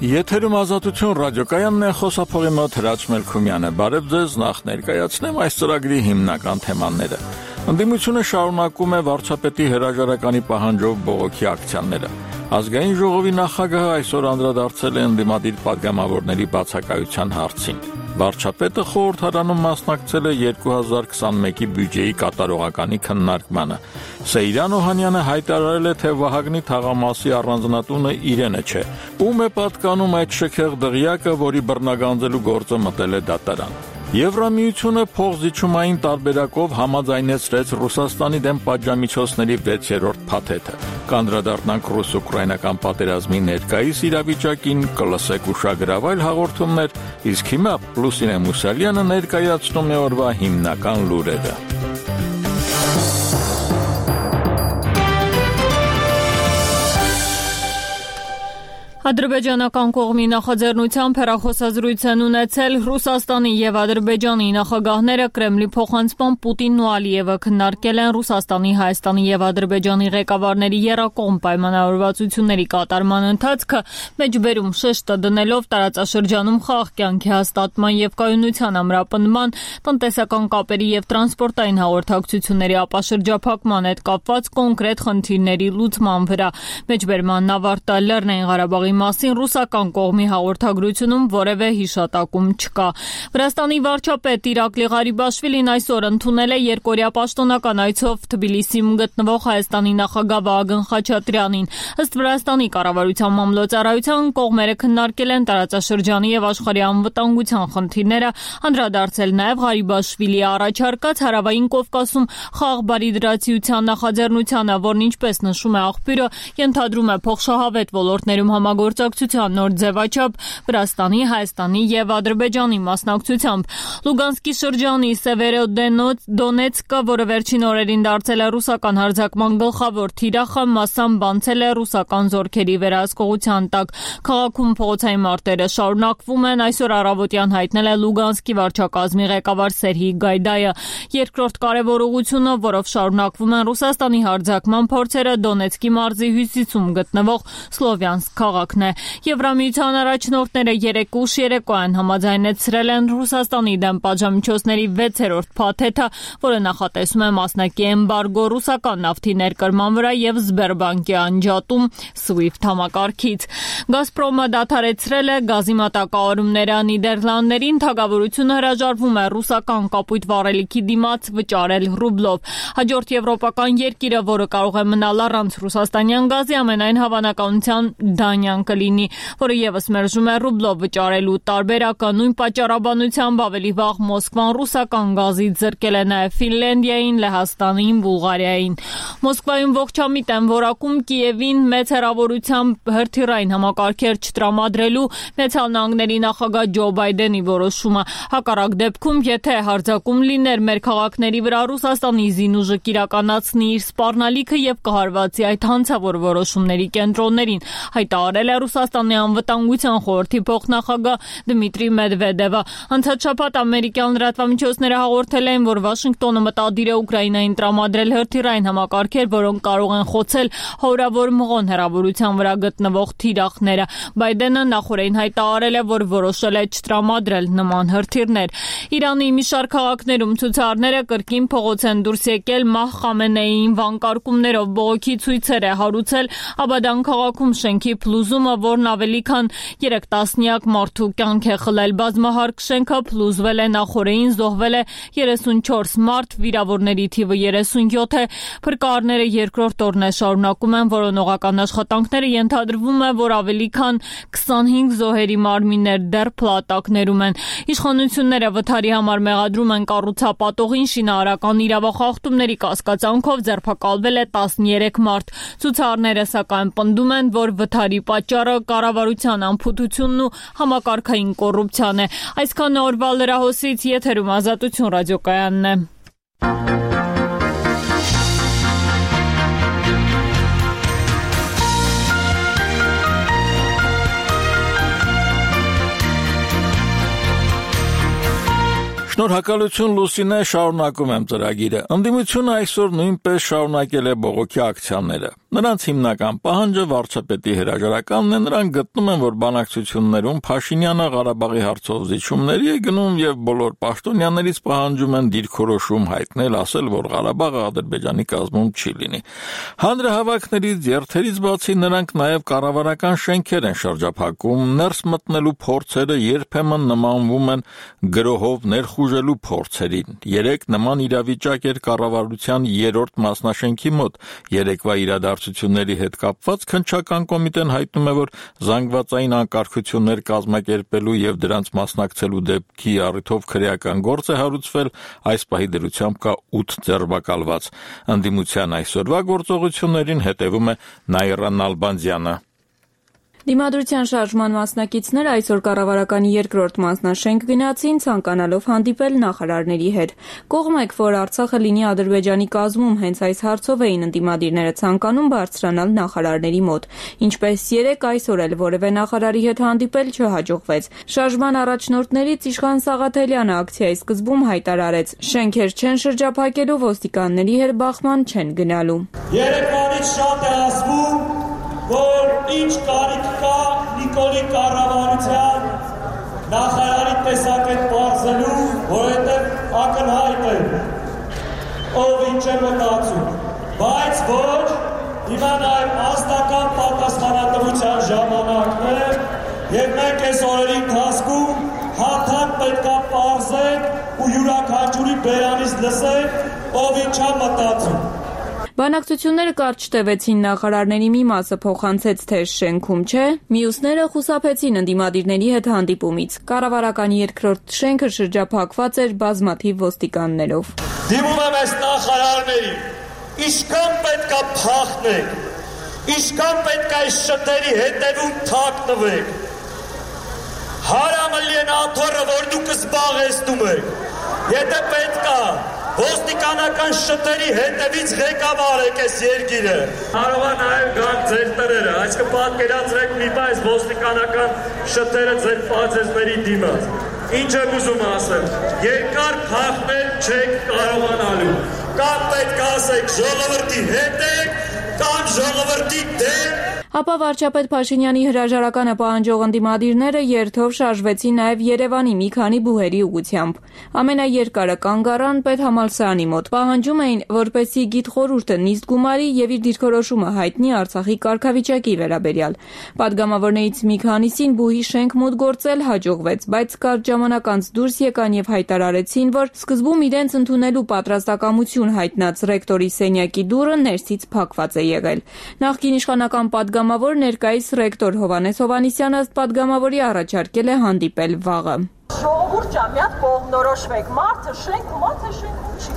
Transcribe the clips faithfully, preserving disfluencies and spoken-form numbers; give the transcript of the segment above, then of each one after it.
Եթերում Ազատություն ռադիոկայանն է, խոսափողի մոտ Հրաչ Մելքումյանը։ Բարև ձեզ, նախ ներկայացնեմ այս ծրագրի հիմնական թեմաները։ Ընդդիմությունը շարունակում է վարչապետի հրաժարականի պահանջով բողոքի ակցիաները։ Ազգային ժողովի նախագահը այսօր անդրադարձել է ընդդիմադիր պատգամավորների բացակայության հարցին։ Վարչապետը խորհրդարանում մասնակցել է երկու հազար քսանմեկի բյուջեի կատարողականի քննարկմանը։ Սեյրան Օհանյանը հայտարարել է, թե Վահագնի թաղամասի առանձնատունը իրենը չէ։ Ում է պատկանում այդ շքեղ դղյակը, որի բռնագանձելու գործը մտել է դատարան։ Եվրամիությունը փոխզիջումային տարբերակով համաձայնեցրեց Ռուսաստանի դեմ պատժամիջոցների վեցերորդ փաթեթը։ Կանդրադառնանք ռուս-ուկրաինական պատերազմի ներկայիս իրավիճակին, կլսեք ուշագրավ այլ հաղորդումներ, իսկ հիմա Լուսինե Մուսալյանը ներկայացնում է օրվա հիմնական լուրերը։ Ադրբեջանական կողմի նախաձեռնությամբ հեռախոսազրույց են ունեցել Ռուսաստանի եւ Ադրբեջանի նախագահները Կրեմլի փոխանցման Պուտինն ու Ալիևը քննարկել են Ռուսաստանի, Հայաստանի եւ Ադրբեջանի ղեկավարների եռակողմ պայմանավորվածությունների կատարման ընթացքը, մեջբերում շեշտը դնելով տարածաշրջանում խաղաղ կյանքի հաստատման եւ կայունության ամրապնդման, տնտեսական կապերի եւ տրանսպորտային հաղորդակցությունների ապաշրջափակման հետ կապված կոնկրետ խնդիրների լուծման վրա։ Մեջբերման ավարտը Լեռնային Ղարաբաղի մասին ռուսական կողմի հաղորդագրությունում որևէ հիշատակում չկա։ Վրաստանի վարչապետ Իրակլի Ղարիբաշվիլին այսօր ընդունել է երկօրյա պաշտոնական այցով Թբիլիսիում գտնվող Հայաստանի նախագահ Վահագն Խաչատրյանին։ Ըստ Վրաստանի կառավարության մամլոյցարայության կողմերը քննարկել են տարածաշրջանի եւ աշխարհի անվտանգության խնդիրները, անդրադարձել նաեւ Ղարիբաշվիլիի առաջարկած Հարավային Կովկասում խաղաղ բարիդրացիության նախաձեռնությանը, որն ինչպես նշում է աղբյուրը, ենթադրում է փոխշահավետ ոլորտներում համագործակցության նոր ձևաչափ Վրաստանի, Հայաստանի եւ Ադրբեջանի մասնակցությամբ։ Լուգանսկի շրջանի Սևերոդոնեցկը, որը վերջին օրերին դարձել է ռուսական հարձակման գլխավոր թիրախը, մասամբ անցել է ռուսական զորքերի վերահսկողության տակ։ Քաղաքում փողոցային մարտերը շարունակվում են, այսօր առավոտյան հայտնել է Լուգանսկի վարչակազմի ղեկավար Սերհի Գայդայը։ Երկրորդ կարևոր ուղղությունը, որով շարունակվում են Ռուսաստանի հարձակման փորձերը, Դոնեցկի մարզի հյուսիսում գտնվող Սլովյանսկ քաղաքն է։ Եվրամիության առաջնորդները երեկ ուշ երեկոյան համաձայնեցրել են Ռուսաստանի դեմ պատժամիջոցների վեցերորդ փաթեթը, որը նախատեսում է մասնակի էմբարգո ռուսական նավթի ներկրման վրա եւ Սբերբանկի անջատում SWIFT համակարգից։ Գազպրոմը դադարեցրել է գազի մատակարարումները Նիդերլանդներին, թագավորությունը հրաժարվում է ռուսական կապույտ վառելիքի դիմաց վճարել ռուբլով։ Հաջորդ եվրոպական երկիրը, որը կարող է մնալ առանց ռուսաստանյան գազի, ամենայն հավանականությամբ Դանիան կլինի, որը եւս մերժում է ռուբլով վճարելու տարբերակը։ Նույն պատճառաբանությամբ ավելի վաղ Մոսկվան ռուսական գազից զրկել է նաեւ Ֆինլանդիային, Լեհաստանին, Բուլղարիային։ Մոսկվայում ողջամիտ են որակում Կիևին մեծ հեռավորությամբ հրթիռային համակարգեր չտրամադրելու Միացյալ Նահանգների նախագահ Ջո Բայդենի որոշումը։ Հակառակ դեպքում, եթե հարձակում լիներ մեր քաղաքների վրա, Ռուսաստանի զինուժը կիրականացնի իր սպառնալիքը եւ կհարվածի այդ հանցավոր որոշումների կենտրոններին, հայտարարել է Ռուսաստանի անվտանգության խորհրդի փոխնախագահ Դմիտրի Մեդվեդևը։ Անցած շաբաթ ամերիկյան լրատվամիջոցները հաղորդել էին, որ Վաշինգտոնը մտադիր է Ուկրաինային տրամադրել հրթիռային համակարգեր, որոնք կարող են խոցել հարյուրավոր մղոն հեռավորության վրա գտնվող թիրախները։ Բայդենը նախորդին հայտարարել է, որ որոշել է չտրամադրել նման հրթիռներ։ Իրանի մի շարք քաղաքներում ցուցարարները կրկին փողոց են դուրս եկել Մահ Խամենեիին վանկարկումներով, բողոքի ցույցեր է հարուցել Աբադան քաղաքում շենքի փլուզումը, որն ավելի քան երեք տասնյակ մարդու կյանք է խլել։ Բազմահարկ շենքը փլուզվել է նախորդին, զոհվել է երեսունչորս մարդ, վիրավորների թիվը երեսունյոթ է։ Փրկարարները երկրորդ օրն է շարունակում են որոնողական աշխատանքները, ենթադրվում է, որ ավելի քան քսանհինգ զոհերի մարմիններ դեռ փլատակներում են։ Իշխանությունները վթարի համար մեղադրում են կառուցապատողին, շինարարական իրավախախտումների կասկածանքով ձերբակալվել է տասներեք մարդ։ Ցուցարարները սակայն պնդում են, որ վթարի պատճառը կառավարության անփութությունն ու համակարգային կոռուպցիան է։ Այսքան օրվա լրահոսից եթերում Ազատություն ռադիոկայանն է։ Շնորհակալություն Լուսինե, շարունակում եմ ծրագիրը։ Ընդդիմությունը այսօր նույնպես շարունակել է բողոքի ակցիաները։ Նրանց հիմնական պահանջը վարչապետի հրաժարականն է, նրանք գտնում են, որ բանակցություններում Փաշինյանը Ղարաբաղի հարցով զիջումների է գնում եւ բոլոր պաշտոնյաներից պահանջում են դիրքորոշում հայտնել, ասել, որ Ղարաբաղը Ադրբեջանի կազմում չի լինի։ Հանրահավաքներից, երթերից բացի նրանք նաեւ կառավարական շենքեր են շրջափակում, ներս մտնելու փորձերը երբեմն նմանվում են գրոհով ներխուժելու փորձերին։ Երեք նման իրավիճակ էր կառավարության երրորդ մասնաշենքի մոտ։ Երեկվա իրադարձությունների հետ կապված քննչական կոմիտեն հայտնում է, որ զանգվածային անկարգություններ կազմակերպելու եւ դրանց մասնակցելու դեպքի առիթով քրեական գործ է հարուցվել, այս պահի դրությամբ կա ութ ձերբակալված։ Ընդդիմության այսօրվա գործողություններին հետևում է Նաիրա Նալբանդյանը։ Դիմադրության շարժման մասնակիցները այսօր կառավարականի երկրորդ մասնաշենք գնացին, ցանկանալով հանդիպել նախարարների հետ։ Կողմեք, որ Արցախը լինի Ադրբեջանի կազմում, հենց այս հարցով էին ընդդիմադիրները ցանկանում բարձրանալ նախարարների մոտ։ Ինչպես երեք, այսօր էլ որևէ նախարարի հետ հանդիպել չհաջողվեց։ Շարժման առաջնորդներից Իշխան Սաղաթելյանը ակցիայի սկզբում հայտարարեց. շենքեր չեն շրջափակելու, ոստիկանների հետ բախման չեն գնալու։ Երեկվանից շատ է ասվում, որ ինչ կարիք կա Նիկոլի կառավարության նախարարի տեսակետ պարզելու, որովհետև ակնհայտ է, ով ինչ է մտածում, բայց ոչ, հիմա նաև ազնական պատասխանատվության ժամանակն է, եւ մենք այս օրերի ընթացքում հաթաթ պետք է պարզենք ու յուրաքանչյուրի բերանից լսենք, ով ինչ է մտածում։ Բանակցությունները կարճ տևեցին, նախարարների մի մասը փոխանցեց, թե շենքում չէ, մյուսները խուսափեցին ընդդիմադիրների հետ հանդիպումից։ Կառավարականի երկրորդ շենքը շրջափակված էր բազմաթիվ ոստիկաններով։ Դիմում եմ այս նախարարներին, ինչքան պետք է փախնեք, ինչքան պետք է այս շտերի հետևում թաքնվեք։ Հարամը լիեն աթոռը, որ դուք զբաղեցնում եք, եթե պետք է ոստիկանական շտերի հետևից ղեկավարեք այս երկիրը։ Կարող է նաև գան ձեր տները, այսինքն պատկերացրեք մի բան, այս ոստիկանական շտերը ձեր պացեզների դիմաց։ Ինչ եմ ուզում ասել, երկար փախնել չեք կարողանալու։ Կամ պետք է ասեք ժողովրդի հետ եք, կամ ժողովրդի դեմ։ Ապա վարչապետ Փաշինյանի հրաժարականը պահանջող ընդդիմադիրները երթով շարժվեցին նաև Երևանի մի քանի բուհերի ուղղությամբ։ Ամենաերկարը կանգ առան պետհամալսարանի մոտ, պահանջում էին, որպեսզի գիտխորհուրդը նիստ գումարի եւ իր դիրքորոշումը հայտնի Արցախի կարգավիճակի վերաբերյալ։ Պատգամավորներից մի քանիսին բուհի շենք մոտ գործել հաջողվեց, բայց կարճ ժամանակ անց դուրս եկան եւ հայտարարեցին, որ սկզբում իրենց ընդունելու պատրաստակամություն հայտնած ռեկտորի սենյակի դուռը ներսից փակված է եղել։ Նախկին իշխանական պատգամավոր ներկայիս ռեկտոր Հովհաննես Հովհաննիսյանը ըստ պատգամավորի առաջարկել է հանդիպել վաղը։ Ժողովուրդ ջան, մի հատ կողմնորոշվեք, մարդը շենքում ո՞ց է, շենքում չի։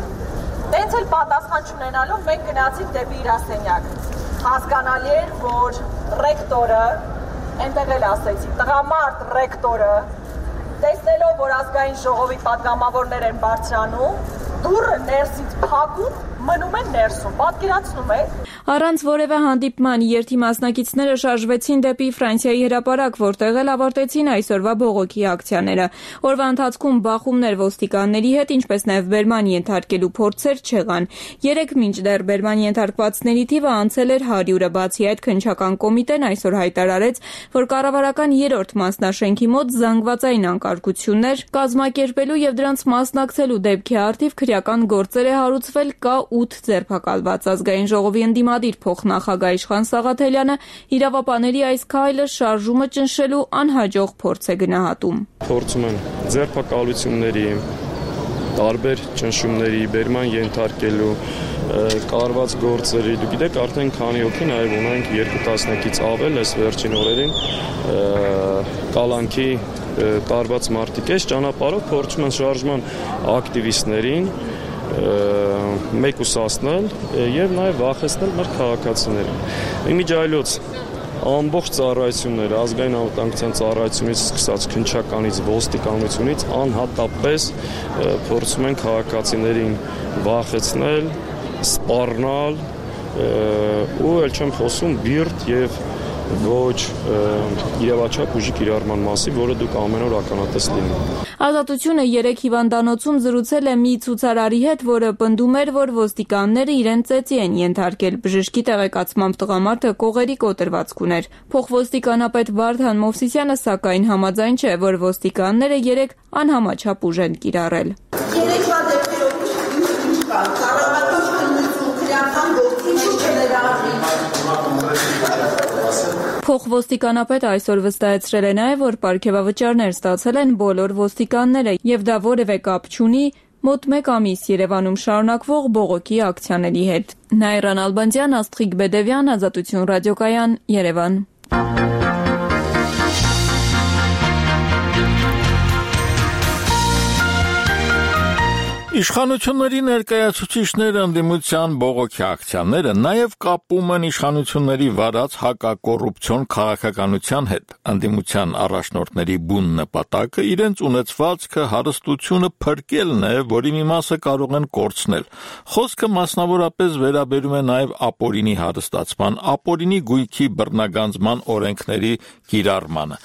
Տենց էլ պատասխան չունենալով մենք գնացինք դեպի իր ասենյակ։ Հասկանալի էր, որ ռեկտորը, այնտեղ էլ ասեցի, տղամարդ ռեկտորը, տեսնելով, որ ազգային ժողովի պատգամավորներ են բարձրանում, դուռը ներսից փակում, մնում են ներսում, պատկերացնում եք։ Առանց որևէ հանդիպման երթի մասնակիցները շարժվեցին դեպի Ֆրանսիայի հրապարակ, որտեղ էլ ավարտեցին այսօրվա բողոքի ակցիաները։ Օրվա ընթացքում բախումներ ոստիկանների հետ, ինչպես նաև բերման ենթարկելու փորձեր չեղան։ Երեք մինչդեռ բերման ենթարկվածների թիվը անցել էր հարյուրը, բացի այդ քննչական կոմիտեն այսօր հայտարարեց, որ կառավարական երրորդ մասնաշենքի մոտ զանգվածային անկարգություններ կազմակերպելու եւ դրանց մասնակցելու դեպքի առթիվ քրեական գործեր է հարուցվել, կա ութ ձերբակալված։ Ազգային ժողովի ընդդիմադիր փոխնախագահ Իշխան Սաղաթելյանը իրավապաների այս քայլը շարժումը ճնշելու անհաջող փորձ է գնահատում։ Փորձում են ձերբակալությունների, տարբեր ճնշումների, բերման ենթարկելու, կարված գործերի, դուք գիտեք, արդեն քանի հոգի նաև ունենք երկու տասնյակից ավել այս վերջին օրերին կալանքի տարված մարդիկ այս ճանապարհով փորձում են շարժման ակտիվիստներին մեկուսացնել եւ նաեւ վախեցնել մեր քաղաքացիներին։ Իմիջայլոց ամբողջ ծառայությունները, ազգային անվտանգության ծառայությունից սկսած քննչականից, ոստիկանությունից անհատապես փորձում են քաղաքացիներին վախեցնել, սպառնալ ու ել չեմ խոսում բիրտ եւ ոչ իրավաչափ ուժի կիրառման մասին, որը դուք ամեն օր ականատես լինում։ Ազատությունը երեք հիվանդանոցում զրուցել է մի ցուցարարի հետ, որը պնդում էր, որ ոստիկանները իրեն ծեծի են ենթարկել։ Բժշկի տեղեկացմամբ տղամարդը կողերի կոտրվածք ուներ։ Փոխոստիկանապետ Վարդան Մովսիսյանը սակայն համաձայն չէ, որ ոստիկանները երեք անհամաչափ ուժ են կիրառել։ Երեկվա դեպքերով ինչ կա, կառավարական քննություն, քրեական գործիչ չներառվի։ Փոխոստիկանապետը այսօր վստահեցրել է նաև, որ պարգևավճարներ ստացել են բոլոր ոստիկանները եւ դա որևէ կապ չունի մոտ մեկ ամիս Երևանում շարունակվող բողոքի ակցիաների հետ։ Նայրան Ալբանդյան, Աստղիկ Բեդևյան, Ազատություն ռադիոկայան, Երևան։ Իշխանությունների ներկայացուցիչները ընդդիմության բողոքի ակցիաները նաև կապում են իշխանությունների վարած հակակոռուպցիոն քաղաքականության հետ։ Ընդդիմության առաջնորդների բուն նպատակը իրենց ունեցվածքը, հարստությունը փրկելն է, որի մի մասը կարող են կորցնել։ Խոսքը մասնավորապես վերաբերում է նաև ապօրինի հարստացման, ապօրինի գույքի բռնագանձման օրենքների կիրառմանը։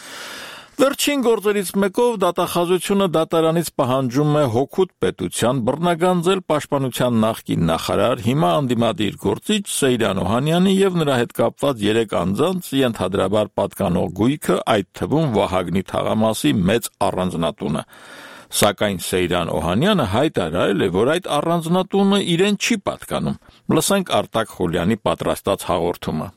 Վերջին գործերից մեկով դատախազությունը դատարանից պահանջում է հօգուտ պետության բռնագանձել պաշտպանության նախկին նախարար, հիմա անդիմադիր գործիչ Սեյրան Օհանյանի եւ նրա հետ կապված երեք անձանց ենթադրաբար պատկանող գույքը, այդ թվում Վահագնի թաղամասի մեծ առանձնատունը։ Սակայն Սեյրան Օհանյանը հայտարարել է, որ այդ առանձնատունը իրեն չի պատկանում։ Լսենք Արտակ Խուլյանի պատրաստած հաղորդումը։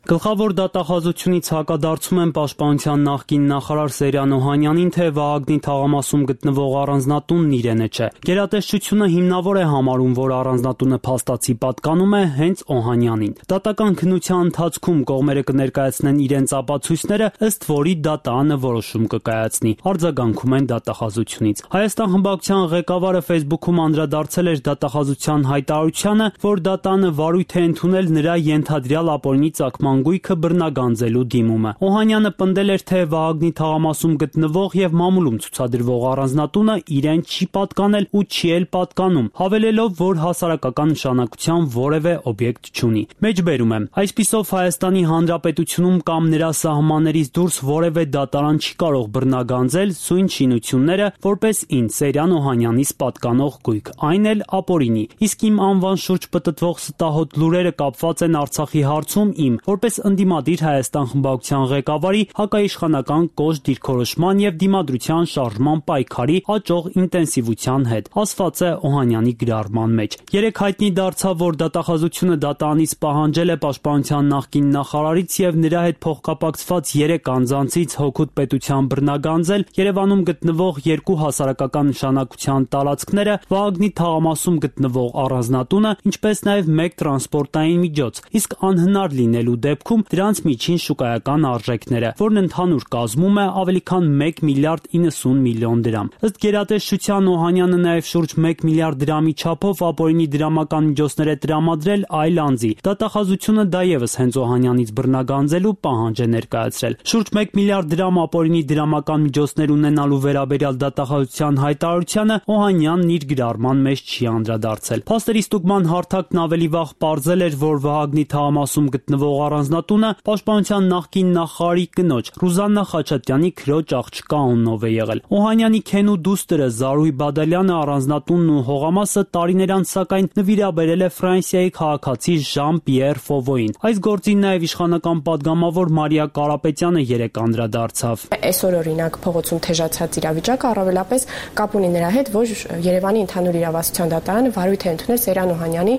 Գլխավոր դատախազությունից հակադարձում են պաշտպանության նախկին նախարար Սեյրան Օհանյանին, թե Վահագնի թաղամասում գտնվող առանձնատունն իրենը չէ։ Գերատեսչությունը հիմնավոր է համարում, որ առանձնատունը փաստացի պատկանում է հենց Օհանյանին։ Դատական քննության ընթացքում կողմերը կներկայացնեն իրենց ապացույցները, ըստ որի դատարանը որոշում կկայացնի։ Արձագանքում են դատախազությունից։ Հայաստան խմբակցության ղեկավարը Facebook-ում անդրադարձել էր դատախազության հայտարարությանը, որ դատարանը վարույթ է ընդունել նրա ենթադրյալ ապօրինի ծագման գույքը բռնագանձելու դիմումը։ Օհանյանը պնդել էր, թե Վահագնի թաղամասում գտնվող եւ մամուլում ցուցադրվող առանձնատունը իրեն չի պատկանել ու չի էլ պատկանում, հավելելով, որ հասարակական նշանակության որևէ օբյեկտ չունի։ Մեջբերում եմ, այսպիսով Հայաստանի Հանրապետությունում կամ նրա սահմաններից դուրս որևէ դատարան չի կարող բռնագանձել սույն շինությունները որպես ինձ Սեյրան Օհանյանից պատկանող գույք, այն էլ ապօրինի։ Իսկ իմ անվան շուրջ պտտվող ստահոդ լուրերը կապված են Արցախի հարցում իմ որպես ընդդիմադիր Հայաստան խմբակցության ղեկավարի հակաիշխանական կոշտ դիրքորոշման եւ դիմադրության շարժման պայքարի աճող ինտենսիվության հետ, ասված է Օհանյանի գրառման մեջ։ Երեք հայտնի դարձավ, որ դատախազությունը դատարանից պահանջել է պաշտպանության նախկին նախարարից եւ նրա հետ փոխկապակցված երեք անձանցից հօգուտ պետության բռնագանձել Երևանում գտնվող երկու հասարակական նշանակության տարածքները, Վահագնի թաղամասում գտնվող առանձնատունը, ինչպես նաեւ մեկ տրանսպորտային միջոց, իսկ անհնար լինելու դեպքում դրանց միջին շուկայական արժեքները, որն ընդհանուր կազմում է ավելի քան մեկ միլիարդ իննսուն միլիոն դրամ։ Ըստ գերատեսչության Օհանյանը նաև շուրջ մեկ միլիարդ դրամի չափով ապօրինի դրամական միջոցներ է տրամադրել այլ անձի։ Դատախազությունը դա ևս հենց Օհանյանից բռնագանձելու պահանջ է ներկայացրել։ Շուրջ մեկ միլիարդ դրամ ապօրինի դրամական միջոցներ ունենալու վերաբերյալ դատախազության հայտարարությանը Օհանյանն իր գրառման մեջ չի անդրադարձել։ Փաստերի ստուգման հարթակն ավելի վաղ պարզել էր, որ Վահագնի թաղամասում գտնվող առանձնատունը պաշտպանության նախկին նախարարի կնոջ Ռուզաննա Խաչատրյանի քրոջ աղջկա անունով է եղել։ Օհանյանի քենու դուստր Զարուհի Բադալյանը առանձնատունն ու հողամասը տարիներ անց սակայն նվիրաբերել է Ֆրանսիայի քաղաքացի Ժան-Պիեր Ֆովոյին։ Այս գործին նաև իշխանական падգամավոր Մարիա Կարապետյանը երեք անդրադարձավ։ Այսօր օրինակ փողոցում թեժացած իրավիճակը առավելապես կապ ունի նրա հետ, որ Երևանի ընդհանուր իրավասության դատարանը վարույթ է ընդունել Սեյրան Օհանյանի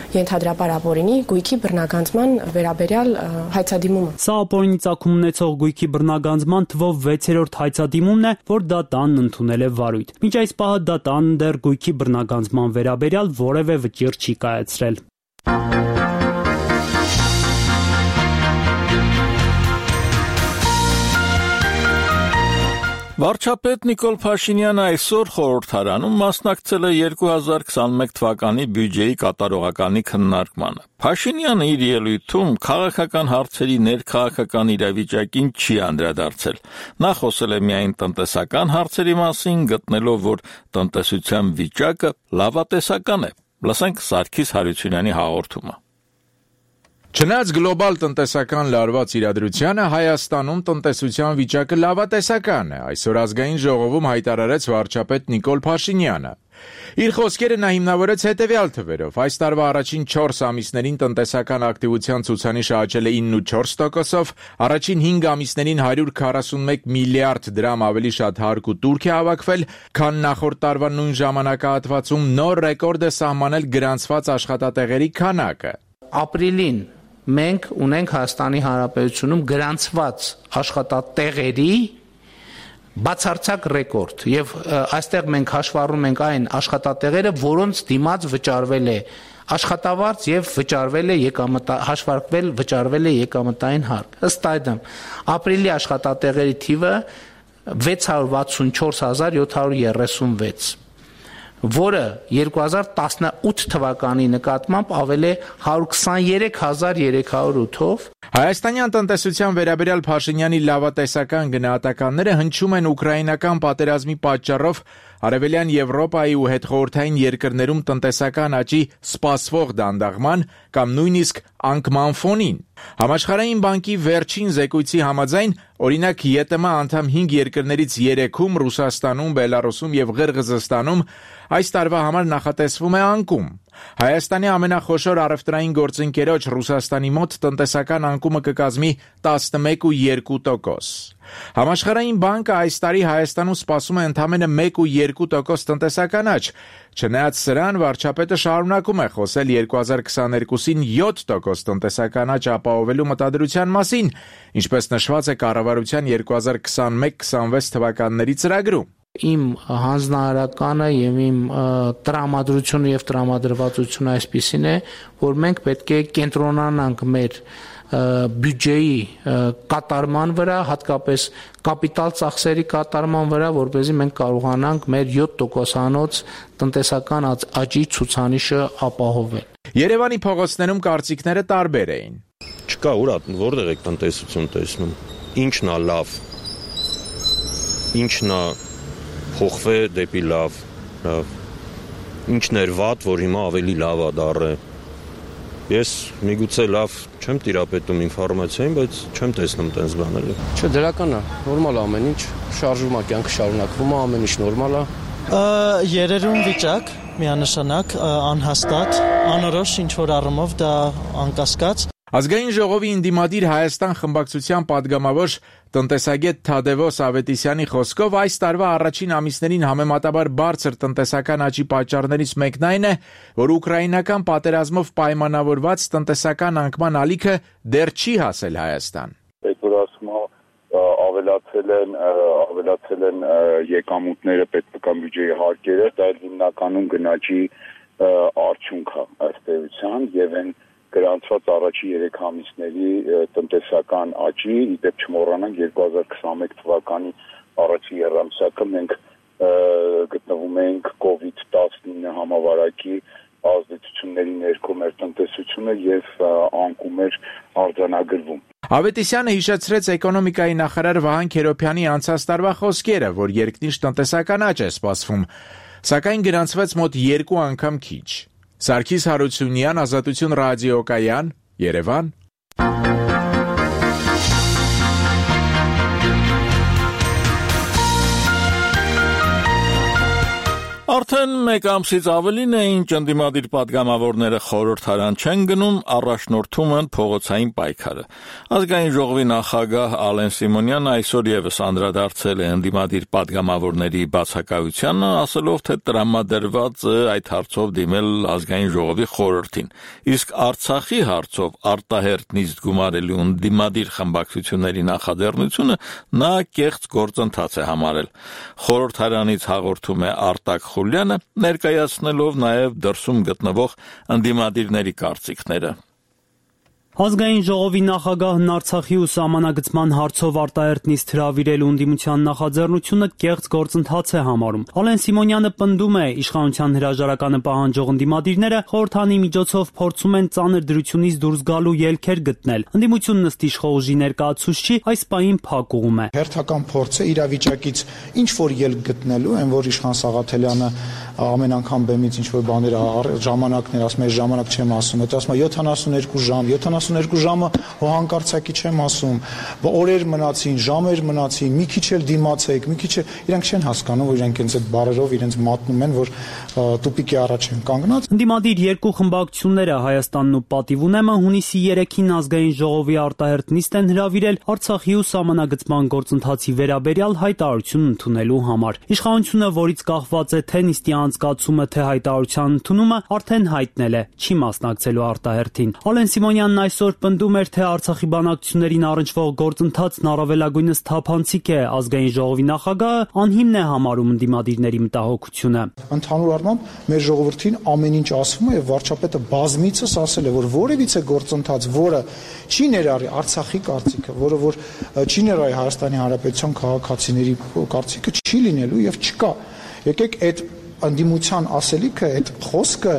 ենթադրաբար ապօրինի գույքի բռնագանձման վերաբերյալ հայցադիմումը։ Սա ապօրինի ծագում ունեցող գույքի բռնագանձման թվով վեցերորդ հայցադիմումն է, որ դատարանն ընդունել է վարույթ։ Մինչ այս պահը դատարանն դեռ գույքի բռնագանձման վերաբերյալ որևէ վճիռ չի կայացրել։ Վարչապետ Նիկոլ Փաշինյանը այսօր խորհրդարանում մասնակցել է երկու հազար քսանմեկ թվականի բյուջեի կատարողականի քննարկմանը։ Փաշինյանը իր ելույթում քաղաքական հարցերի ներքաղաքական իրավիճակին չի անդրադարձել։ Նա խոսել է միայն տնտեսական հարցերի մասին, գտնելով, որ տնտեսության վիճակը լավատեսական է։ Լսենք Սարգիս Հարությունյանի հաղորդումը։ Չնայած գլոբալ տնտեսական լարված իրադրությանը Հայաստանում տնտեսության վիճակը լավատեսական է, այսօր ազգային ժողովում հայտարարեց վարչապետ Նիկոլ Փաշինյանը։ Իր խոսքերը նա հիմնավորեց հետևյալ թվերով. այս տարվա առաջին չորս ամիսներին տնտեսական ակտիվության ցուցանիշը աճել է ինը փուկյա չորս տոկոսով, առաջին հինգ ամիսներին հարյուր քառասունմեկ միլիարդ դրամ ավելի շատ հարկ ու տուրք է հավաքվել, քան նախորդ տարվա նույն ժամանակահատվածում, նոր ռեկորդ է սահմանել գրանցված աշխատատեղերի քանակը։ Ապրիլին մենք ունենք Հայաստանի Հանրապետությունում գրանցված աշխատատեղերի բացարձակ ռեկորդ եւ այստեղ մենք հաշվառում ենք այն աշխատատեղերը, որոնց դիմաց վճարվել է աշխատավարձ եւ վճարվել է եկամտա հաշվարկվել վճարվել է եկամտային հարկ։ Ըստ այդմ ապրիլի աշխատատեղերի թիվը վեց հարյուր վաթսունչորս հազար յոթ հարյուր երեսունվեց, որը երկու հազար տասնութ թվականի նկատմամբ ավել է հարյուր քսաներեք հազար երեք հարյուր ութով։ Հայաստանյան տնտեսության վերաբերյալ Փաշինյանի լավատեսական գնահատականները հնչում են ուկրաինական պատերազմի պատճառով Արևելյան Եվրոպայի ու հետխորհրդային երկրներում տնտեսական աճի սպասվող դանդաղման կամ նույնիսկ անկման ֆոնին։ Համաշխարհային բանկի վերջին զեկույցի համաձայն, օրինակ ԵՏՄ անդամ հինգ երկրներից երեքում Ռուսաստանում, Բելարուսում եւ Ղրղզստանում այս տարվա համար նախատեսվում է անկում։ Հայաստանի ամենախոշոր առևտրային գործընկերոջ Ռուսաստանի մոտ տնտեսական անկումը կկազմի տասնմեկ ու երկու տոկոս։ Համաշխարհային բանկը այս տարի Հայաստանում սպասում է ընդամենը մեկ ու երկու տոկոս տնտեսական աճ։ Չնայած սրան, վարչապետը շարունակում է խոսել երկու հազար քսաներկուսին յոթ տոկոս տնտեսական աճ ապահովելու մտադրության մասին, ինչպես նշված է կառավարության երկու հազար քսանմեկ քսանվեց թվականների ծրագրում։ Իմ հանձնարարականը եւ իմ տրամադրությունը եւ տրամադրվածությունը այսպիսին է, որ մենք պետք է կենտրոնանանք մեր բյուջեի կատարման վրա, հատկապես կապիտալ ծախսերի կատարման վրա, որպեսզի մենք կարողանանք մեր յոթ տոկոսանոց տնտեսական աճի ցուցանիշը ապահովել։ Երևանի փողոցներում կարծիքները տարբեր էին։ Չկա ուր որտեղ եք տնտեսություն տեսնում։ Ինչն է լավ։ Ինչն է փոխվե դեպի լավ, լավ։ Ինչն էր վատ, որ հիմա ավելի լավ է դառը։ Ես միգուցե լավ չեմ տիրապետում ինֆորմացիային, բայց չեմ տեսնում տենց բաներ։ Չէ, դրական է, նորմալ է ամեն ինչ, շարժվում է, կյանքը շարունակվում է, ամեն ինչ նորմալ է։ Երերուն վիճակ, միանշանակ, անհաստատ, անորոշ ինչ-որ առումով դա անկասկած։ Ազգային ժողովի ընդդիմադիր Հայաստան խմբակցության падգամավոր տնտեսագետ Թադևոս Ավետիսյանի խոսքով այս տարվա առաջին ամիսներին համեմատաբար բարձր տնտեսական աճի պատճառներից մեկն այն է, որ ուկրաինական պատերազմով պայմանավորված տնտեսական անկման ալիքը դեռ չի հասել Հայաստան։ Այդ որ ասում ավելացել են ավելացել են եկամուտները պետական բյուջեի հարկերը, դա հիմնականում գնաճի արդյունք է ըստ էության եւ այն գրանցված առաջի երեք ամիսների տնտեսական աճի, իդեպ չմոռանանք երկու հազար քսանմեկ թվականի առաջի եռամսյակը մենք գտնվում ենք կովիդ տասնինը համավարակի ազդեցությունների ներքո մեր տնտեսությունը եւ անկում էր արձանագրվում։ Ավետիսյանը հիշեցրեց էկոնոմիկայի նախարար Վահան Քերոբյանի անցած տարվա խոսքերը, որ երկնիշ տնտեսական աճ է սպասվում, սակայն գրանցվեց մոտ երկու անգամ քիչ։ Սարգիս Հարությունյան, Ազատություն ռադիոկայան, Երևան։ Արդեն մեկ ամսից ավելին է, ինչ ընդդիմադիր падգամավորները խորհրդարան չեն գնում, առաջնորդում են փողոցային պայքարը։ Ազգային ժողովի նախագահ Ալեն Սիմոնյանը այսօր եւս անդրադարձել է ընդդիմադիր падգամավորների բացակայությանը, ասելով, թե տրամադրված է այդ հարցով դիմել ազգային ժողովի խորհրդին։ Իսկ Արցախի հարցով արտահերտ նիստ գումարելու ընդդիմադիր խմբակցությունների նախաձեռնությունը նա կեղծ գործընթաց է համարել։ Խորհրդարանից հաղորդում է Արտակ Խուլյանը, ներկայացնելով նաև դրսում գտնվող ընդդիմադիրների կարծիքները։ Ազգային ժողովի նախագահն Արցախի ու սահմանագծման հարցով արտահերտ նիստ հրավիրելու ընդդիմության նախաձեռնությունը կեղծ գործընթաց է համարում։ Ալեն Սիմոնյանը պնդում է, իշխանության հրաժարականը պահանջող ընդդիմադիրները խորհրդանի միջոցով փորձում են ծանր դրությունից դուրս գալու ելքեր գտնել։ Ընդդիմությունն ըստ իշխող ուժի ներկայացուցչի այս պահին փակուղում է։ Հերթական փորձը իրավիճակից ինչ որ ելք գտնելու, այն որ իշխան Սաղաթելյանը ամեն անգամ բեմից ինչ որ բաներ ժամանակներ ասում է ժամանակ չեմ ասում, հետո ասում է յոթանասունհինգ ժամ, յոթանասունհինգ ժամը հոհանկարծակի չեմ ասում, օրեր մնացին, ժամեր մնացին, մի քիչ էլ դիմացեք, մի քիչ էլ իրանք չեն հասկանում, որ իրանք ինձ այդ բարերով իրենց մատնում են, որ տուպիկի առաջ են կանգնած։ Ընդդիմադիր երկու խմբակցությունները Հայաստանն ու Պատիվ ունեմը հունիսի երեքին ազգային ժողովի արտահերթ նիստ են հրավիրել Արցախի ու սահմանագծման գործընթացի վերաբերյալ հայտարարություն ընդունելու համար։ Իշխանությունը, որից կախված է թե նիստի անցկացումը, թե հայտարարության ընդունումը, արդեն հայտնել է չի մասնակցելու արտահերթին։ Ալեն Սիմոնյանն այսօր պնդում էր, թե Արցախի բանակցություններին առնչվող գործընթացն առավելագույնս թափանցիկ է, ազգային ժողովի նախագահը անհիմն է համարում ընդդիմադիրների մտահոգությունը։ Ընդհանուր առմամբ մեր ժողովրդին ամեն ինչ ասվում է եւ վարչապետը բազմիցս ասել է, որ որևիցե գործընթաց, որը չի ներառի Արցախի կարծիքը, որը որ չի ներառի Հայաստանի Հանրապետության քաղաքացիների կարծիքը, չի լինելու եւ չկա։ Եկեք այդ ընդդիմության ասելիքը, այդ խոսքը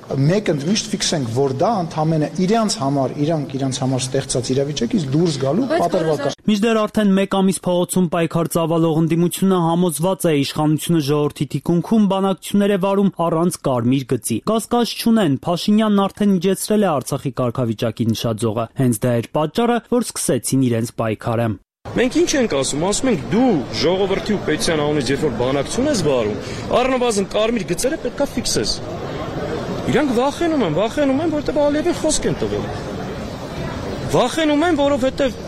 մեկ ընդմիշտ ֆիքսենք, որ դա ընդամենը իրանց համար, իրանք իրանց համար ստեղծած իրավիճակից դուրս գալու պատրվակ է։ Մինչդեռ արդեն մեկ ամիս փողոցում պայքար ծավալող ընդդիմությունը համոզված է իշխանությունը ժողովրդի թիկունքում բանակցություններ է վարում առանց կարմիր գծի։ Կասկած չունեն, Փաշինյանն արդեն իջեցրել է Արցախի կարգավիճակի նշաձողը։ Հենց դա էր պատճառը, որ սկսեցին իրենց պայքարը։ Մենք ինչ ենք ասում, ասում ենք դու ժողովրդի ու պետության անունից երբ որ բանակցություն ես վարում, առնվազն կարմիր գծերը պետք է ֆիքսես։ Իրանք վախենում են, վախենում են, որովհետև Ալիևին խոսք են տվել։ Վախենում են, որովհետև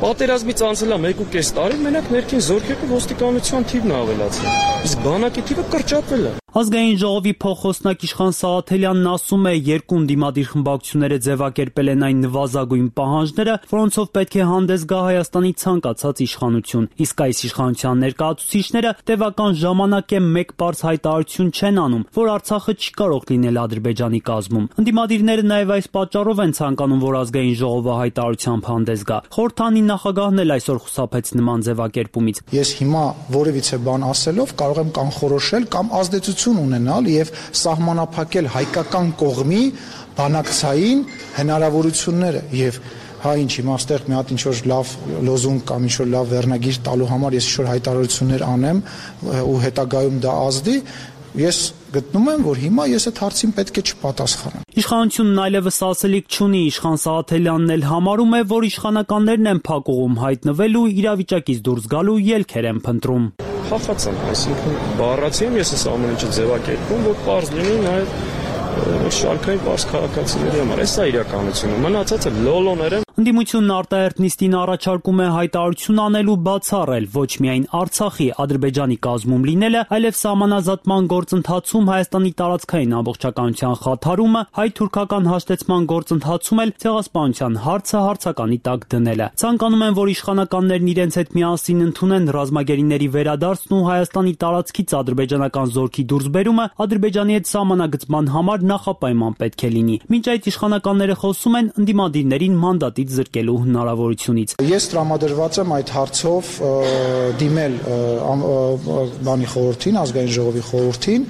պատերազմից անցել է մեկ ու կես տարի, մենակ ներքին զորքերի ոստիկանության թիվն է ավելացել։ Իսկ բանակի թիվը կրճատվել է։ Ազգային ժողովի փոխոսնակ Իշխան Սաղաթելյանն ասում է, երկու ընդդիմադիր խմբակցությունները ձևակերպել են այն նվազագույն պահանջները, որոնցով պետք է հանդես գա Հայաստանի ցանկացած իշխանություն։ Իսկ այս իշխանության ներկայացուցիչները տևական ժամանակ է մեկ բարձ հայտարարություն չեն անում, որ Արցախը չի կարող լինել Ադրբեջանի կազմում։ Ընդդիմադիրները նաև այս պատճառով են ցանկանում, որ ազգային ժողովը հայտարարությամբ հանդես գա։ Խորհրդանի նախագահն էլ այսօր խուսափեց նման ձևակերպումից։ Ես հիմա որևիցե բան ասելով կարող եմ կանխորոշել կամ ազդեցություն ունենալ եւ սահմանափակել հայկական կողմի բանակցային հնարավորությունները եւ հա ինչ հիմա այստեղ մի հատ ինչ որ լավ լոզունգ կամ ինչ որ լավ վերնագիր տալու համար ես ինչ որ հայտարարություններ անեմ ու հետագայում դա ազդի, ես գտնում եմ, որ հիմա ես այդ հարցին պետք է չպատասխանեմ։ Իշխանությունն այլևս ասելիք չունի, Իշխան Սաղաթելյանն էլ համարում է, որ իշխանականներն են փակուղում հայտնվելու, իրավիճակից դուրս գալու ելքեր են փնտրում։ Խախացան, այսինքն բառացի եմ ես այս ամեն ինչը ձևակերպում, որ պարզ լինի նաև շարքային պարզ քաղաքացիների համար։ Այս է իրականությունը, մնացածը լոլոներ են։ Ընդդիմությունն արտահերթ նիստին առաջարկում է հայտարարություն անել ու բացառել ոչ միայն Արցախի Ադրբեջանի կազմում լինելը, այլև սահմանազատման գործընթացում Հայաստանի տարածքային ամբողջականության խաթարումը, հայ-թուրքական հաշտեցման գործընթացում էլ ցեղասպանության հարցը հարցականի տակ դնելը։ Ցանկանում են, որ իշխանականներն իրենց հետ միասին ընդունեն ռազմագերիների վերադարձն ու Հայաստանի տարածքից ադրբեջանական զորքի դուրսբերումը Ադրբեջանի հետ սահմանագծման համար նախապայման պետք է լինի։ Մինչ այդ իշխանականները խոսում են ընդդիմադիրներին մանդատի զրկելու հնարավորությունից։ Ես տրամադրված եմ այդ հարցով դիմել բանի խորհրդին, ազգային ժողովի խորհրդին,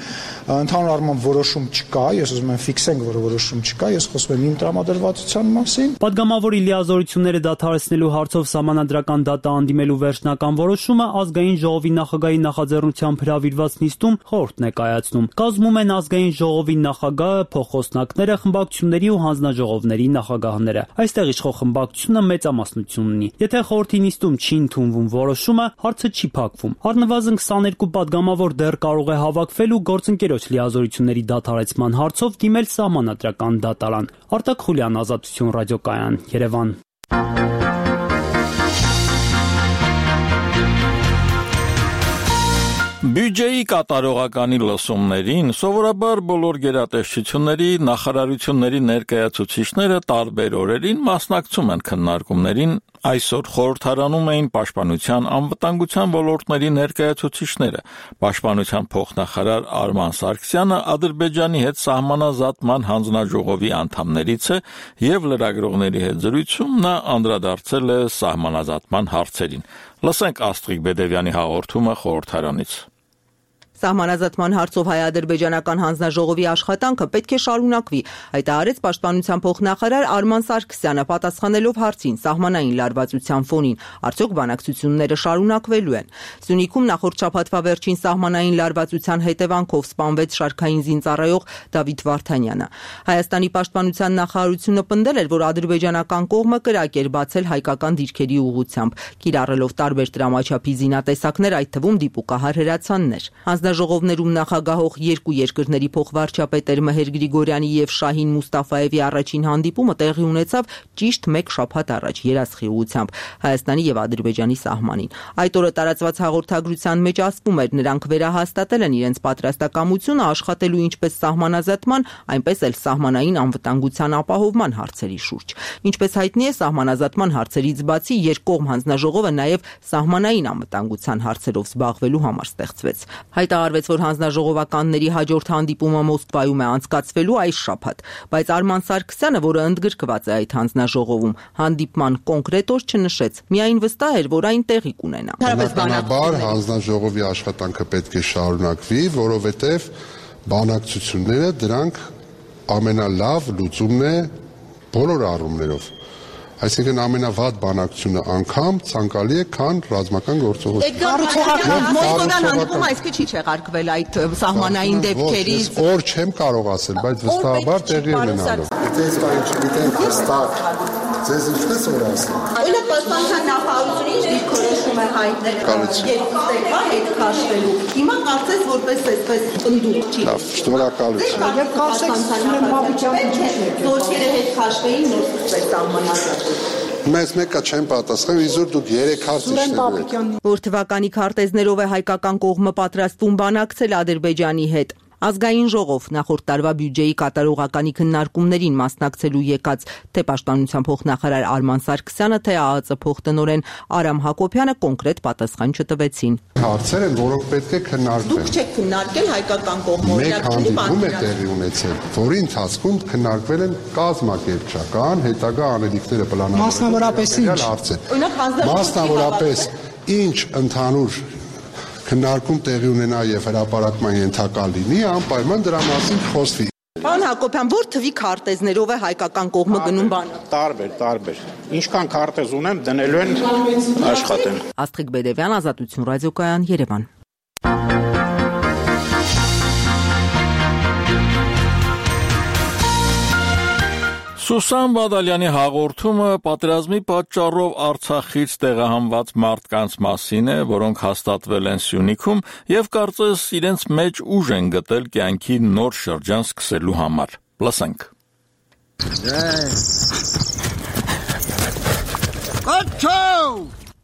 ընդհանուր առմամբ որոշում չկա, ես ուզում եմ ֆիքսենք, որ որոշում չկա, ես խոսում եմ իմ տրամադրվածության մասին։ Պատգամավորի լիազորությունները դադարեցնելու հարցով սահմանադրական դատա հանդիմելու վերջնական որոշումը ազգային ժողովի նախագահի նախաձեռնությամբ հրավիրված նիստում խորհուրդն է կայացնում։ Կազմում են ազգային ժողովի նախագահը, փոխոսնակները, խմբակցությունների ու հանձնաժողովների նախագահները։ Այստեղ իշխող խմբակցությունը մեծամասնություն ունի։ Եթե խորհրդի նիստում չի ընդունվում որոշումը, հարցը չի փակվում։ Առնվազն քսաներկու պատգամավոր դեռ կարող է հավաքվել ու գործընկերոջ լիազորությունների դադարեցման հարցով դիմել սահմանադրական դատարան։ Արտակ Խուլյան, Ազատություն ռադիոկայան, Երևան։ Բյուջեի կատարողականի լսումներին սովորաբար բոլոր գերատեսչությունների, նախարարությունների ներկայացուցիչները տարբեր օրերին մասնակցում են քննարկումներին, այսօր խորհրդարանում էին պաշտպանության անվտանգության ոլորտների ներկայացուցիչները, պաշտպանության փոխնախարար Արման Սարգսյանը Ադրբեջանի հետ սահմանազատման հանձնաժողովի անդամներից է եւ լրագրողների հետ զրույցում նա անդրադարձել է սահմանազատման հարցերին։ Լսենք Աստղիկ Բեդևյանի հաղորդումը խորհրդարանից։ Սահմանազատման հարցով հայ-ադրբեջանական հանձնաժողովի աշխատանքը պետք է շարունակվի, հայտարարեց Պաշտպանության փոխնախարար Արման Սարգսյանը, պատասխանելով հարցին սահմանային լարվածության ֆոնին, արդյոք բանակցությունները շարունակվելու են։ Սյունիքում նախորդ շաբաթվա վերջին սահմանային լարվածության հետևանքով սպանվեց շարքային զինծառայող Դավիթ Վարդանյանը։ Հայաստանի Պաշտպանության նախարարությունը պնդել էր, որ ադրբեջանական կողմը կրակ էր բացել հայկական դիրքերի ուղղությամբ, կիրառելով տարբեր տրամաչափի զինատեսակներ, այդ թվում դիպուկահար հրացաններ։ Հանձնաժողովներում նախագահող երկու երկրների փոխվարչապետեր Մհեր Գրիգորյանի եւ Շահին Մուստաֆաևի առաջին հանդիպումը տեղի ունեցավ ճիշտ մեկ շաբաթ առաջ երասխի ուղղությամբ Հայաստանի եւ Ադրբեջանի սահմանին։ Այդ օրը տարածված հաղորդագրության մեջ ասվում էր, նրանք վերահաստատել են իրենց պատրաստակամությունը աշխատելու ինչպես սահմանազատման, այնպես էլ սահմանային անվտանգության ապահովման հարցերի շուրջ։ Ինչպես հայտնի է, սահմանազատման հարցերից բացի երկկողմ հանձնաժողովը նաեւ սահմանային անվտանգության հարցերով զբաղվելու համար ստեղծվեց։ Հայտարարվեց, որ հանձնաժողովականների հաջորդ հանդիպումը Մոսկվայում է անցկացվելու այս շաբաթ, բայց Արման Սարգսյանը, որը ընդգրկված է այդ հանձնաժողովում, հանդիպման կոնկրետ օր չնշեց, միայն վստահ էր, որ այն տեղի կունենա։ Բնականաբար հանձնաժողովի աշխատանքը պետք է շարունակվի, որովհետև բանակցությունները դրանք ամենալավ լուծումն է բոլոր առումներով։ Այսինքն ամենավատ բանակցությունը անգամ ցանկալի է, քան ռազմական գործողություն։ Մոսկովյան հանդիպումը այսքի չի չեղարկվել այդ սահմանային դեպքերից։ Օր չեմ կարող ասել, բայց վստահաբար տեղի ունենալու։ Դες կային չգիտենք հստակ ձեզ ինչպես որ ասեմ։ Այլը պաշտպանության նախարարությունը ինչ դիրքորոշում է հայտնել երկու տեկվա հետ քաշվելու։ Հիմա կարծես որպես այսպես ընդդուք չի։ Լավ, շնորհակալություն։ Եվ կարծես զորքերը հետ քաշվեին նոր սկսվեց սահմանազատումը։ Մեզ մեկը չեմ պատասխան, իզուր դուք երեք հարց իջնեք։ Որ թվականի քարտեզներով է հայկական կողմը պատրաստվում բանակցել Ադրբեջանի հետ։ Ազգային ժողով նախորդ տարվա բյուջեի կատարողականի քննարկումներին մասնակցելու եկած թե Պաշտպանության փոխնախարար Արման Սարգսյանը, թե ԱԱԾ փոխտնօրեն Արամ Հակոբյանը կոնկրետ պատասխան չտվեցին։ Հարցեր են, որոնք պետք է քննարկվեն։ Դուք չեք քննարկել հայկական կողմը Մեկ հանդիպում է տեղի ունեցել, որի ընթացքում քննարկվել են կազմակերպչական, հետագա անելիքները պլանավորված հարցեր։ Մասնավորապես ինչ ընդհանուր քննարկում տեղի ունենա եւ հրապարակման ենթակա լինի, անպայման դրա մասին խոսվի։ Պարոն Հակոբյան, որ թվի քարտեզներով է հայկական կողմը գնում բանը։ Տարբեր, տարբեր։ Ինչքան քարտեզ ունեմ, դնելու են աշխատեն։ Աստղիկ Բեդևյան, Ազատություն ռադիոկայան, Երևան։ Սուսան Բադալյանի հաղորդումը պատերազմի պատճառով Արցախից տեղահանված մարդկանց մասին է, որոնք հաստատվել են Սյունիքում եւ կարծես իրենց մեջ ուժ են գտել կյանքի նոր շրջան սկսելու համար։ Լսենք։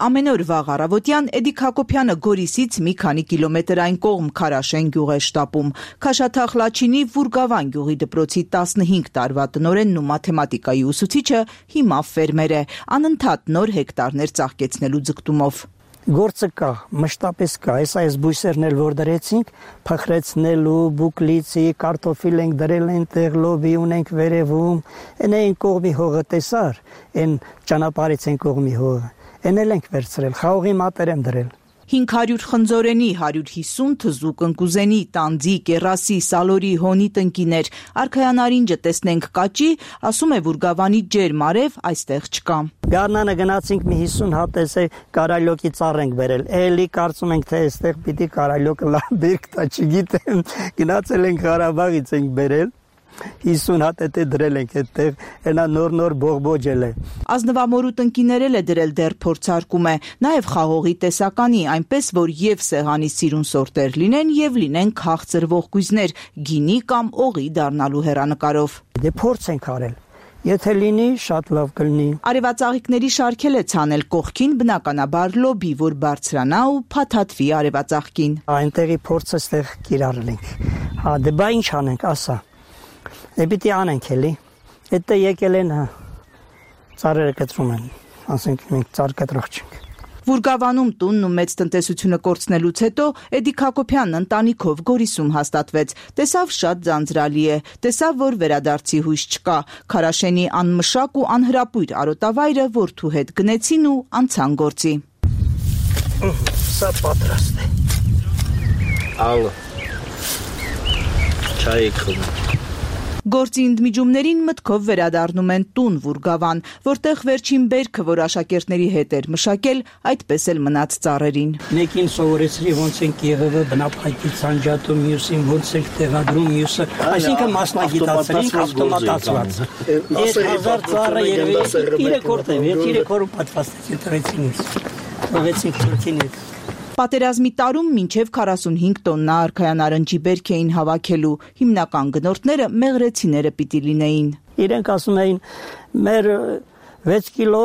Ամեն օր վաղ առավոտյան Էդիկ Հակոբյանը Գորիսից մի քանի կիլոմետր այն կողմ Քարաշեն գյուղ է շտապում։ Քաշաթաղ Լաչինի Վուրգավան գյուղի դպրոցի տասնհինգ տարվա տնօրենն ու մաթեմատիկայի ուսուցիչը հիմա ֆերմեր է, անընդհատ նոր հեկտարներ ծաղկեցնելու ձգտումով։ Գործը կա, մշտապես կա, այս այս բույսերն էլ որ դրեցինք, փխրեցնելու, բուկլիցի, կարտոֆիլ ենք դրել այնտեղ, լոբի ունենք վերևում, այն այն կողմի հողը տեսար, այն ճանապարհից այն կողմի հողը, այն էլ ենք վերցրել, խաղողի մատեր եմ դրել։ հինգ հարյուր խնձորենի, հարյուր հիսուն թզուկ ընկուզենի, տանձի, կերասի, սալորի, հոնի տնկիներ, արքայանարինջը տեսնենք կաճի, ասում է Վուրգավանի ջերմ արև այստեղ չկա։ Գարնանը գնացինք մի հիսուն հատ էսե կարայլոկի ծառ ենք բերել, էլի կարծում ենք թե այստեղ պիտի կարայլոկը լավ բերք տա, չգիտեմ, գնացել ենք Ղարաբաղից ենք բերել, հիսուն հատ էտե դրել ենք այդտեղ, այնա նոր-նոր բողբոջել է։ Ազնվամորու տնկիներել է դրել դեռ փորձարկում է, նաև խաղողի տեսականի, այնպես որ եւ սեղանի սիրուն սորտեր լինեն եւ լինեն քաղցր ողկույզներ, գինի կամ օղի դառնալու հեռանկարով։ Դե փորձ ենք արել։ Եթե լինի, շատ լավ կլինի։ Արևածաղիկների շարքել է ցանել կողքին բնականաբար լոբի, որ բարձրանա ու փաթաթվի արևածաղկին։ Այնտեղի փորձը ստեղ կիրառել ենք։ Հա, դե բա ինչ անենք, ասա։ Դե պիտի անենք էլի։ Էդտե եկել են ծառերը կտրում են, ասենք մենք ծառ կտրող չենք։ Վուրգավանում տունն ու մեծ տնտեսությունը կորցնելուց հետո Էդիկ Հակոբյանն ընտանիքով Գորիսում հաստատվեց։ Տեսավ շատ ձանձրալի է, տեսավ, որ վերադարձի հույս չկա։ Քարաշենի անմշակ ու անհրապույր արոտավայրը որդու հետ գնեցին ու անցան գործի։ Սա պատրաստ է։ Ալը։ չայ եք խմում։ Գործի ընդմիջումներին մտքով վերադառնում են տուն Վուրգավան, որտեղ վերջին բերքը, որ աշակերտների հետ էր մշակել, այդպես էլ մնաց ծառերին։ Մեկին սովորեցրի ոնց են եղևը բնապայթի ցանջատում, մյուսին ոնց է տեղադրում, մյուսը, այսինքն մասնագիտացրինք, ավտոմատացված։ Ես հազար ծառը երևի երեք օր տեմ, երեք օր պատվաստեցի տրեցինից։ Ուղեցինք Թուրքին հետ։ Պատերազմի տարում մինչև քառասունհինգ տոննա արքայան արնջի բերք էին հավաքելու, հիմնական գնորդները մեղրեցիները պիտի լինեին։ Իրենք ասում էին, մեր վեց կիլո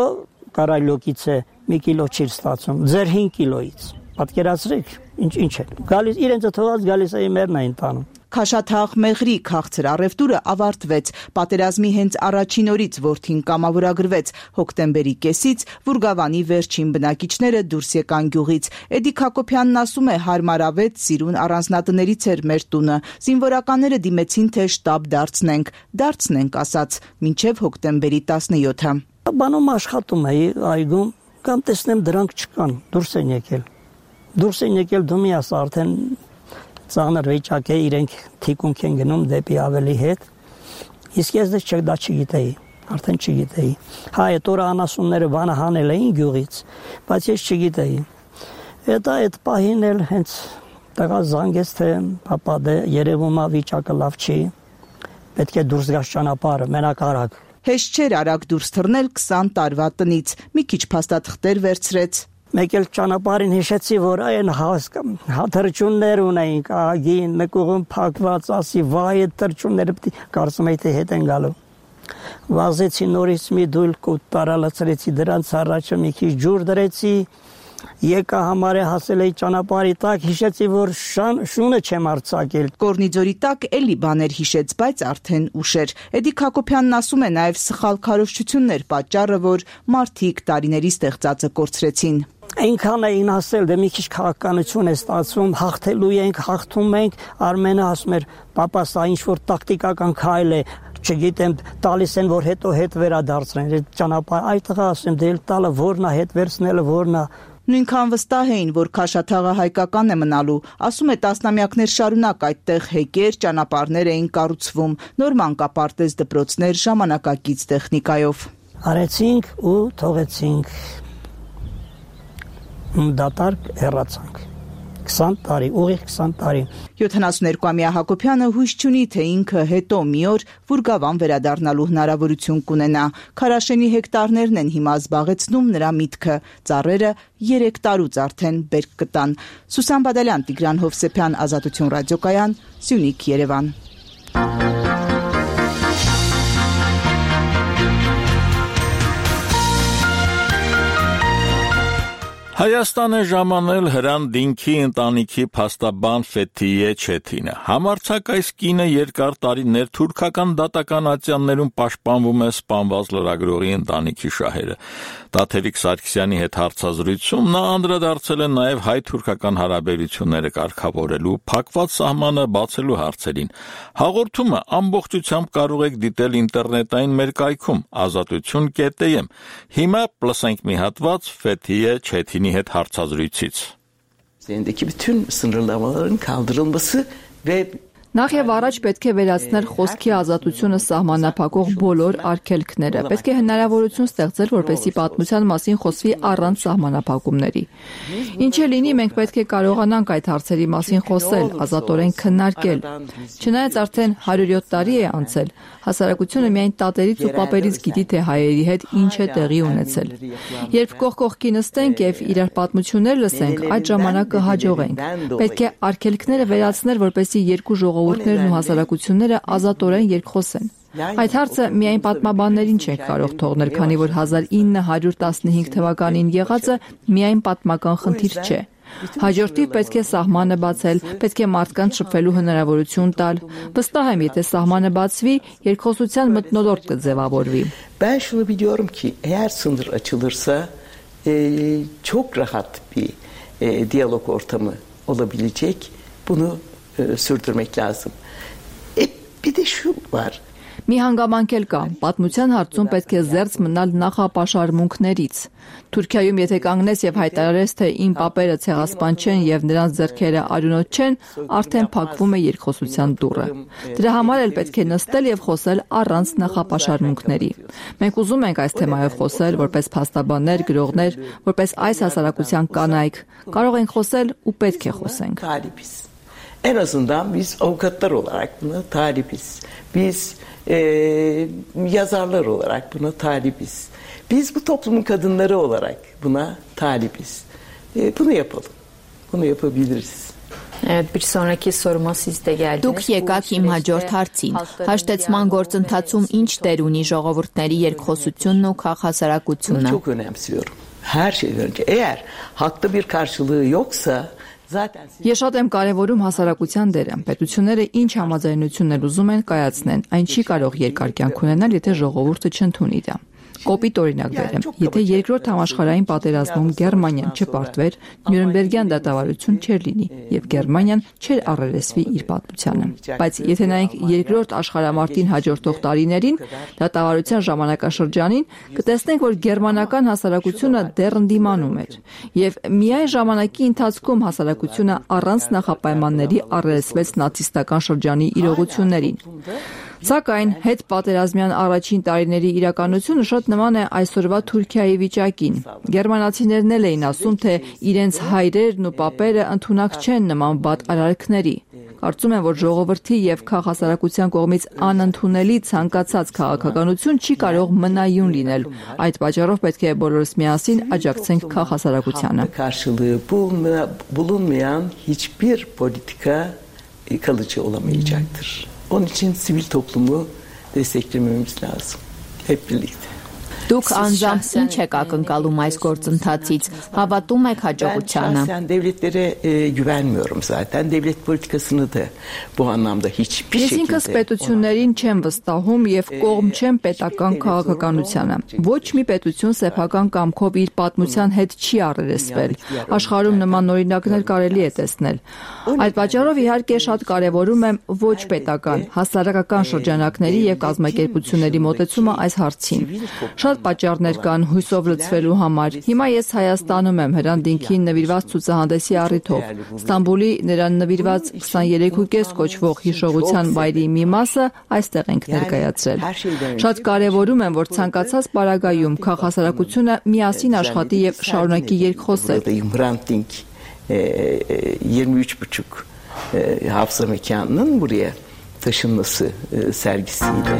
կարայլոկից է, մի կիլո չի ստացում, ձեր հինգ կիլոից։ Պատկերացրեք, ինչ ինչ է։ Գալիս իրենց թողած գալիս էին մերն էին տանում։ Քաշաթաղ մեղրի քաղցր առևտուրը ավարտվեց։ Պատերազմի հենց առաջին օրից որդին կամավորագրվեց։ Հոկտեմբերի կեսից Վուրգավանի վերջին բնակիչները դուրս եկան գյուղից։ Էդիկ Հակոբյանն ասում է, հարմարավետ սիրուն առանձնատներից էր մեր տունը։ Զինվորականները դիմեցին, թե շտաբ դարձնենք։ Դարձնենք, ասաց, մինչև հոկտեմբերի տասնյոթը։ Բանում աշխատում էի այգում, կամ տեսնեմ դրանք չկան, դուրս են եկել։ Դուրս են եկել դու մի ասա արդեն ծանր վիճակ է, իրենք թիկունք են գնում դեպի ավելի հետ, իսկ ես դե դա չգիտեի, արդեն չգիտեի։ Հա, այդ օրը անասունները բանը հանել էին գյուղից, բայց ես չգիտեի։ Հետո այդ պահին էլ հենց տղա զանգեց, թե պապա դե երևում է վիճակը լավ չի, պետք է դուրս գաս ճանապարհը, մենակ արագ։ Հեշտ չէր արագ դուրս թռնել քսան տարվա տնից, մի քիչ փաստաթղթեր վերցրեց։ Մեկ էլ ճանապարհին հիշեցի, որ այն թռչուններ ունեինք, ագին, մեկ ուղում փակված, ասի, վայ, այդ թռչունները պիտի կարծում էի, թե հետ են գալու։ Վազեցի նորից մի դուլք ու տարալացրեցի դրանց առաջը մի քիչ ջուր դրեցի, եկա համարը հասել էի ճանապարհի տակ, հիշեցի, որ շան, շունը չեմ արձակել։ Կորնիձորի տակ էլի բաներ հիշեց, բայց արդեն ուշ էր։ Էդիկ Հակոբյանն ասում է, նաև սխալ քարոզչություններ պատճառը, որ մարդիկ տարիների ստեղծածը կորցրեցին։ Այնքան էին ասել, դե մի քիչ քաղաքականություն է ստացվում, հաղթելու ենք, հաղթում ենք, Արմենը ասում էր, պապա, սա ինչ-որ տակտիկական քայլ է, չգիտեմ, տալիս են, որ հետո հետ վերադարձնեն, այդ ճանապարհ, այդ տղա ասեմ, դե տալը որն է, հետ վերցնելը որն է։ Նույնքան վստահ էին, որ Քաշաթաղը հայկական է մնալու, ասում է տասնամյակներ շարունակ այդտեղ հեկեր, ճանապարհներ էին կառուցվում, նոր մանկապարտեզ դպրոցներ ժամանակակից տեխնիկայով։ Արեցինք ու թողեցինք։ Դատարկ հեռացանք։ քսան տարի, ուղիղ քսան տարի։ յոթանասունյոթամյա Հակոբյանը հույս չունի, թե ինքը հետո մի օր Վուրգավան վերադառնալու հնարավորություն կունենա։ Քարաշենի հեկտարներն են հիմա զբաղեցնում նրա միտքը։ Ծառերը երեք տարուց արդեն բերք կտան։ Սուսան Բադալյան, Տիգրան Հովսեփյան, Ազատություն ռադիոկայան, Սյունիք, Երևան։ Հայաստան է ժամանել Հրան Դինքի ընտանիքի փաստաբան Ֆեթիե Չեթինը։ Համարձակ այս կինը երկար տարիներ թուրքական դատական ատյաններում պաշտպանվում է սպանված լրագրողի ընտանիքի շահերը։ Տաթևիկ Սարգսյանի հետ հարցազրույցում նա անդրադարձել է նաև հայ-թուրքական հարաբերությունները կարգավորելու, փակված սահմանը բացելու հարցերին։ Հաղորդումը ամբողջությամբ կարող եք դիտել ինտերնետային մեր կայքում ազատություն կետ եմ։ Հիմա լսենք մի հատված Ֆեթիե Չեթինի հետ հարցազրույցից։ Üzerindeki bütün sınırlamaların kaldırılması ve Նախ եւ առաջ պետք է վերացնել խոսքի ազատությունը սահմանափակող բոլոր արգելքները։ Պետք է հնարավորություն ստեղծել, որպեսզի պատմության մասին խոսվի առանց սահմանափակումների։ Ինչ էլ լինի, մենք պետք է կարողանանք այդ հարցերի մասին խոսել, ազատորեն քննարկել։ Չնայած արդեն հարյուրյոթ տարի է անցել, հասարակությունը միայն տատերից ու պապերից գիտի, թե հայերի հետ ինչ է տեղի ունեցել։ Երբ կողք կողքի նստենք եւ իրար պատմություններ լսենք, այդ ժամանակ կհաջողենք։ Պետք է արգելքները վերացնել, որպեսզի երկու ժողովուրդներն ու հասարակությունները ազատորեն երկխոսեն։ Այդ հարցը միայն պատմաբաններին չենք կարող թողնել, քանի որ հազար ինը հարյուր տասնհինգ թվականին եղածը միայն պատմական խնդիր չէ։ Հաջորդիվ պետք է սահմանը բացել, պետք է մարդկանց շփվելու հնարավորություն տալ։ Վստահ եմ, եթե սահմանը բացվի, երկխոսության մթնոլորտ կձևավորվի։ Ben şunu biliyorum ki eğer sınır açılırsa e, çok rahat bir e, diyalog ortamı olabilecek. Bunu e, sürdürmek lazım. E, bir de şu var. Մի հանգամանք էլ կա, պատմության հարցում պետք է զերծ մնալ նախապաշարմունքներից։ Թուրքիայում եթե կանգնես եւ հայտարարես, թե իմ պապերը ցեղասպան չեն եւ նրանց ձեռքերը արյունոտ չեն, արդեն փակվում է երկխոսության դուռը։ Դրա համար էլ պետք է նստել եւ խոսել առանց նախապաշարմունքների։ Մենք ուզում ենք այս թեմայով խոսել որպես փաստաբաններ, գրողներ, որպես այս հասարակության կանայք։ Կարող ենք խոսել ու պետք է խոսենք։ En azından biz avukatlar olarak buna talibiz. Biz e, yazarlar olarak buna talibiz. Biz bu toplumun kadınları olarak buna talibiz. E, bunu yapalım. Bunu yapabiliriz. Evet, bir sonraki soruma siz de geldiniz. Դուք եկաք իմ հաջորդ հարցին։ Հաշտեցման գործընթացում ինչ դեր ունի ժողովուրդների երկխոսությունն ու քաղաքասարակությունը։ Çok önemsiyorum. Her şeyden önce. Eğer haklı bir karşılığı yoksa Ես շատ եմ կարևորում հասարակության դերը։ Պետությունները ինչ համաձայնություններ ուզում են կայացնեն, այն չի կարող երկար կյանք ունենալ, եթե ժողովուրդը չընդունի դա։ Կոպիտ օրինակ բերեմ։ Եթե երկրորդ համաշխարհային պատերազմում Գերմանիան չպարտվեր, Նյուրնբերգյան դատավարություն չէր լինի եւ Գերմանիան չէր առերեսվի իր պատմությանը։ Բայց եթե նայենք երկրորդ աշխարհամարտին հաջորդող տարիներին, դատավարության ժամանակաշրջանին, կտեսնենք, որ գերմանական հասարակությունը դեռ ընդդիմանում էր եւ միայն ժամանակի ընթացքում հասարակությունը առանց նախապայմանների առերեսվեց նացիստական շրջանի իրողություններին։ Սակայն հետ պատերազմյան առաջին տարիների իրականությունը շատ նման է այսօրվա Թուրքիայի վիճակին։ Գերմանացիներն էլ էին ասում, թե իրենց հայրերն ու պապերը ընդունակ չեն նման վատ արարքների։ Կարծում եմ, որ ժողովրդի եւ քաղաքասարակության կողմից անընդունելի ցանկացած քաղաքականություն չի կարող մնայուն լինել։ Այդ պատճառով պետք է բոլորս միասին աջակցենք քաղաքասարակությանը։ Karşılığı bulunmayan hiçbir politika kalıcı olamayacaktır. Onun için sivil toplumu desteklememiz lazım. Hep birlikte. Դուք անձամբ ինչ եք ակնկալում այս գործընթացից, հավատում եք հաջողությանը։ Ben devletlere e, güvenmiyorum zaten. Devlet politikasını da bu anlamda hiçbir Ես şekilde... ինքս պետություններին չեմ վստահում եւ կողմ չեմ պետական քաղաքականությանը։ Ոչ մի պետություն սեփական կամքով իր պատմության հետ չի առերեսվել։ Աշխարհում նման օրինակներ կարելի է տեսնել։ Այդ պատճառով իհարկե շատ կարևորում եմ ոչ պետական, հասարակական շրջանակների եւ կազմակերպությունների մոտեցումը այս հարցին։ Շատ պատճառներ կան հույսով լցվելու համար։ Հիմա ես Հայաստանում եմ Հրանտինքին նվիրված ցուցահանդեսի առիթով։ Ստամբուլի նրան նվիրված քսաներեքուկես կոչվող հիշողության վայրի մի մասը այստեղ ենք ներկայացրել։ Շատ կարևորում եմ, որ ցանկացած պարագայում քաղաքասարակությունը միասին աշխատի եւ շարունակի երկխոսել։ yirmi üç buçuk e, hafıza mekanının buraya taşınması e, sergisiyle.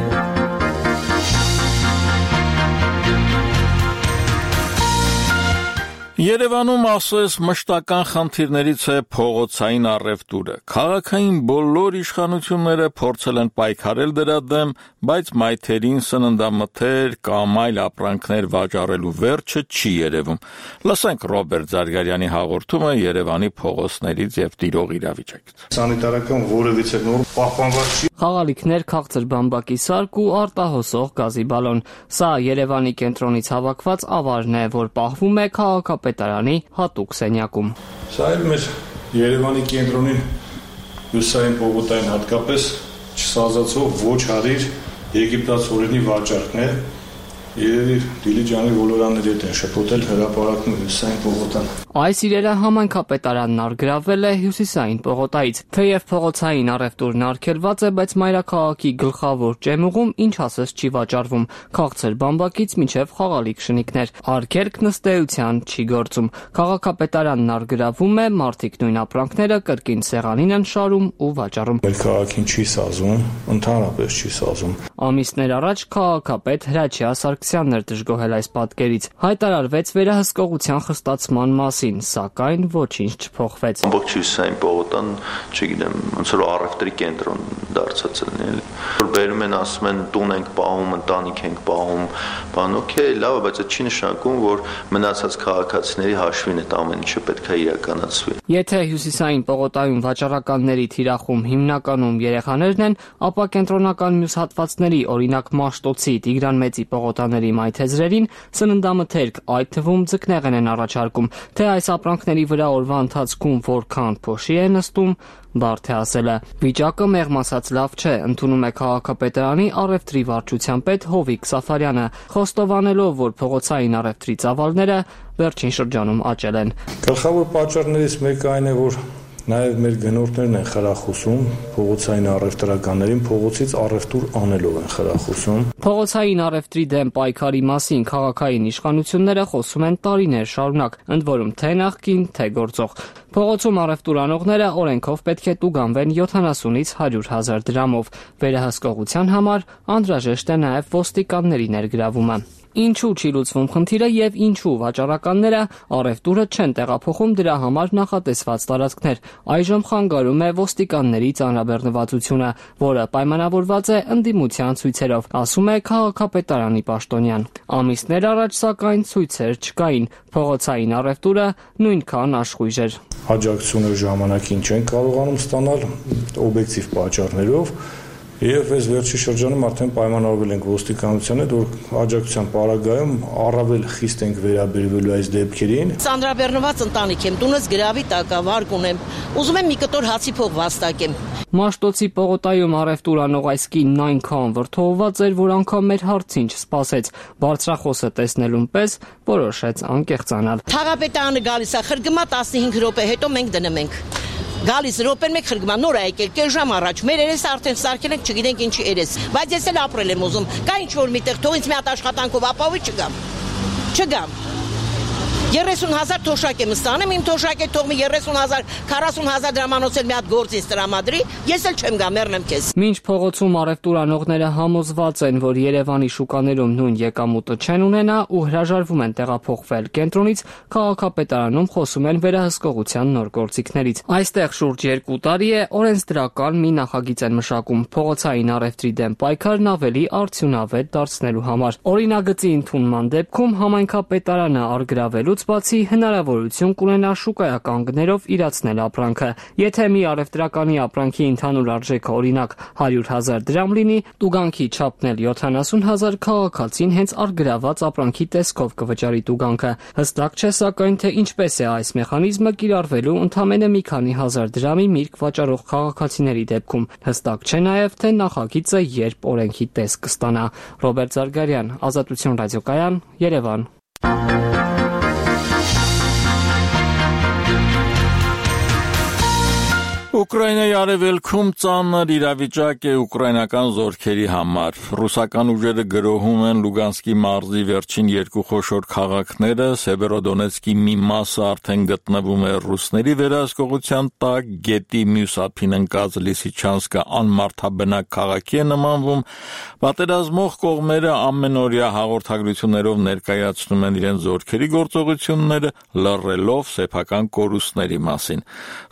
Երևանում ասես մշտական խնդիրներից է փողոցային առևտուրը։ Քաղաքային բոլոր իշխանությունները փորձել են պայքարել դրա դեմ, բայց մայթերին սննդամթեր կամ այլ ապրանքներ վաճառելու վերջը չի երևում։ Լսենք Ռոբերտ Զարգարյանի հաղորդումը Երևանի փողոցներից եւ տիրող իրավիճակից։ Սանիտարական որևիցե նորմ պահպանված չի։ Խաղալիքներ, քաղցր բամբակի սարք ու արտահոսող գազի բալոն։ Սա Երևանի կենտրոնից հավաքված ավարն է, որ պահվում է քաղաքապետարանի հատուկ սենյակում։ Սա էլ մեր Երևանի կենտրոնին հյուսային պողոտային հատկապես չսազացող ոչ հարիր եգիպտացորենի վաճառքն է։ Երևի Դիլիջանի ոլորանների հետ են շփոթել հրապարակում հյուսային պողոտան։ Այս իրերը համայնքապետարանն արգրավել է հյուսիսային պողոտայից։ Թեև փողոցային առևտուրն արգելված է, բայց մայրաքաղաքի գլխավոր ճեմուղում ինչ ասես չի վաճառվում։ Քաղցր բամբակից մինչև խաղալիք շնիկներ։ Արգելքն ըստ էության չի գործում։ Քաղաքապետարանն արգրավում է, մարդիկ նույն ապրանքները կրկին սեղանին են շարում ու վաճառում։ Մեր քաղաքին չի սազում, ընդհանրապես չի սազում։ Ամիսներ առաջ քաղաքապետ Հրաչյա Սարգսյանն էր դժգոհել այս պատկերից։ Հայտարարվեց վերահսկողության խստացման մասին, սակայն ոչինչ չփոխվեց։ Ամբողջ հյուսային պողոտան, չգիտեմ, ոնց որ առևտրի կենտրոն դարձած է, էլի։ Որ բերում են, ասում են տուն ենք պահում, ընտանիք ենք պահում, բան օքեյ, լավ է, բայց դա չի նշանակում, որ մնացած քաղաքացիների հաշվին այդ ամեն ինչը պետք է իրականացվի։ Եթե հյուսիսային պողոտայում վաճառականների թիրախում հիմնականում երեխաներն են, ապա կենտրոնական մյուս հատվածների, օրինակ Մաշտոցի, Տիգրան Մեծի պողոտաների ապրանքների մայթեզրերին, սննդամթերք, այդ թվում ձկնեղեն են առաջարկում, թե այս ապրանքների վրա օրվա ընթացքում որքան փոշի է նստում, բարդ է ասելը։ Վիճակը մեղմ ասած լավ չէ, ընդունում է քաղաքապետարանի առևտրի վարչության պետ Հովիկ Սաֆարյանը, խոստովանելով, որ փողոցային առևտրի ծավալները վերջին շրջանում աճել են։ Գլխավոր պատճառներից մեկը այն է, որ նաև մեր գնորդներն են խրախուսում փողոցային առևտրականներին փողոցից առևտուր անելով են խրախուսում։ Փողոցային առևտրի դեմ պայքարի մասին քաղաքային իշխանությունները խոսում են տարիներ շարունակ, ընդ որում թե նախկին, թե գործող։ Փողոցում առևտուր անողները օրենքով պետք է տուգանվեն յոթանասունից հարյուր հազար դրամով։ Վերահսկողության համար անհրաժեշտ է նաև ոստիկանների ներգրավումը։ Ինչու չի լուծվում խնդիրը եւ ինչու վաճառականները առևտուրը չեն տեղափոխում դրա համար նախատեսված տարածքներ։ Այժմ խանգարում է ոստիկանների ծանրաբեռնվածությունը, որը պայմանավորված է ընդդիմության ցույցերով, ասում է քաղաքապետարանի պաշտոնյան։ Ամիսներ առաջ սակայն ցույցեր չկային, փողոցային առևտուրը նույնքան աշխույժ էր։ Աջակցությունը ժամանակին չեն կարողանում ստանալ օբյեկտիվ պատճառներով։ Եվ այս վերջի շրջանում արդեն պայմանավորվել ենք ոստիկանության հետ, որ աջակցության պարագայում առավել խիստ ենք վերաբերվելու այս դեպքերին։ Ծանրաբեռնված ընտանիք եմ, տունս գրավի տակ է, վարկ ունեմ։ Ուզում եմ մի կտոր հացի փող վաստակեմ։ Մաշտոցի պողոտայում առևտուր անող այս կինն այնքան վրդովված էր, որ անգամ մեր հարցին չսպասեց։ Բարձրախոսը տեսնելուն պես որոշեց անկեղծանալ։ Թաղապետարանը գալիս է, խրգմա տասնհինգ րոպե, հետո մենք դնում ենք։ Գալիս րոպեն մեկ խրգմա նոր է եկել, կես ժամ առաջ։ Մեր երեսը արդեն սարքել ենք, չգիտենք ինչի երես։ Բայց ես էլ ապրել եմ ուզում։ Կա ինչ որ միտեղ, թող ինձ մի հատ աշխատանքով ապահովի չգամ։ Չգամ։ երեսուն հազար թոշակ եմ ստանեմ, իմ թոշակը թող մի երեսուն հազար, քառասուն հազար դրամանոց էլ մի հատ գործից տրամադրի, ես էլ չեմ գա, մեռնեմ քեզ։ Մինչ փողոցում առևտուր անողները համոզված են, որ Երևանի շուկաներում նույն եկամուտը չեն ունենա ու հրաժարվում են տեղափոխվել կենտրոնից, քաղաքապետարանում խոսում են վերահսկողության նոր գործիքներից։ Այստեղ շուրջ երկու տարի է օրենսդրական մի նախագիծ են մշակում փողոցային առևտրի դեմ պայքարն ավելի արդյունավետ դարձնելու համար։ Օրինագծի ընդունման դեպքում համայնքապետարանը առգրավելու բացի հնարավորություն կունենա շուկայական գներով իրացնել ապրանքը։ Եթե մի առևտրականի ապրանքի ընդհանուր արժեքը օրինակ հարյուր հազար դրամ լինի, տուգանքի չափն էլ յոթանասուն հազար, քաղաքացին հենց առգրաված ապրանքի տեսքով կվճարի տուգանքը։ Հստակ չէ սակայն թե ինչպես է այս մեխանիզմը կիրառվելու ընդամենը մի քանի հազար դրամի միրգ վաճառող քաղաքացիների դեպքում։ Հստակ չէ նաև թե նախագիծը երբ օրենքի տեսք կստանա։ Ռոբերտ Զարգարյան, Ազատություն ռադիոկայան, Երևան։ Ուկրաինայի արևելքում ծանր իրավիճակ է ուկրաինական զորքերի համար։ Ռուսական ուժերը գրոհում են Լուգանսկի մարզի վերջին երկու խոշոր քաղաքները, Սևերոդոնեցկի մի մասը արդեն գտնվում է ռուսների վերահսկողության տակ, գետի մյուս ափին ընկած Լիսիչանսկը անմարդաբնակ քաղաքի է նմանվում։ Պատերազմող կողմերը ամենօրյա հաղորդագրություններով ներկայացնում են իրենց զորքերի գործողությունները, լռելով սեփական կորուստների մասին։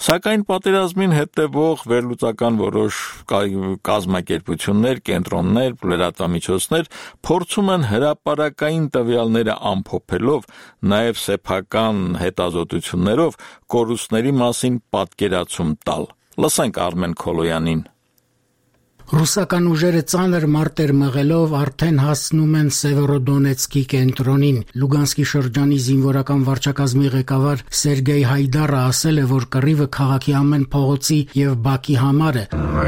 Սակայն պատերազմին հետևող վերլուծական որոշ կազմակերպություններ, կենտրոններ, լրատվամիջոցներ փորձում են հրապարակային տվյալները ամփոփելով, նաև սեփական հետազոտություններով կորուստների մասին պատկերացում տալ։ Լսենք Արմեն Քոլոյանին։ Ռուսական ուժերը ծանր մարտեր մղելով արդեն հասնում են Սևերոդոնեցկի կենտրոնին։ Լուգանսկի շրջանի զինվորական վարչակազմի ղեկավար Սերգեյ Հայդարը ասել է, որ կռիվը քաղաքի ամեն փողոցի եւ բակի համար է։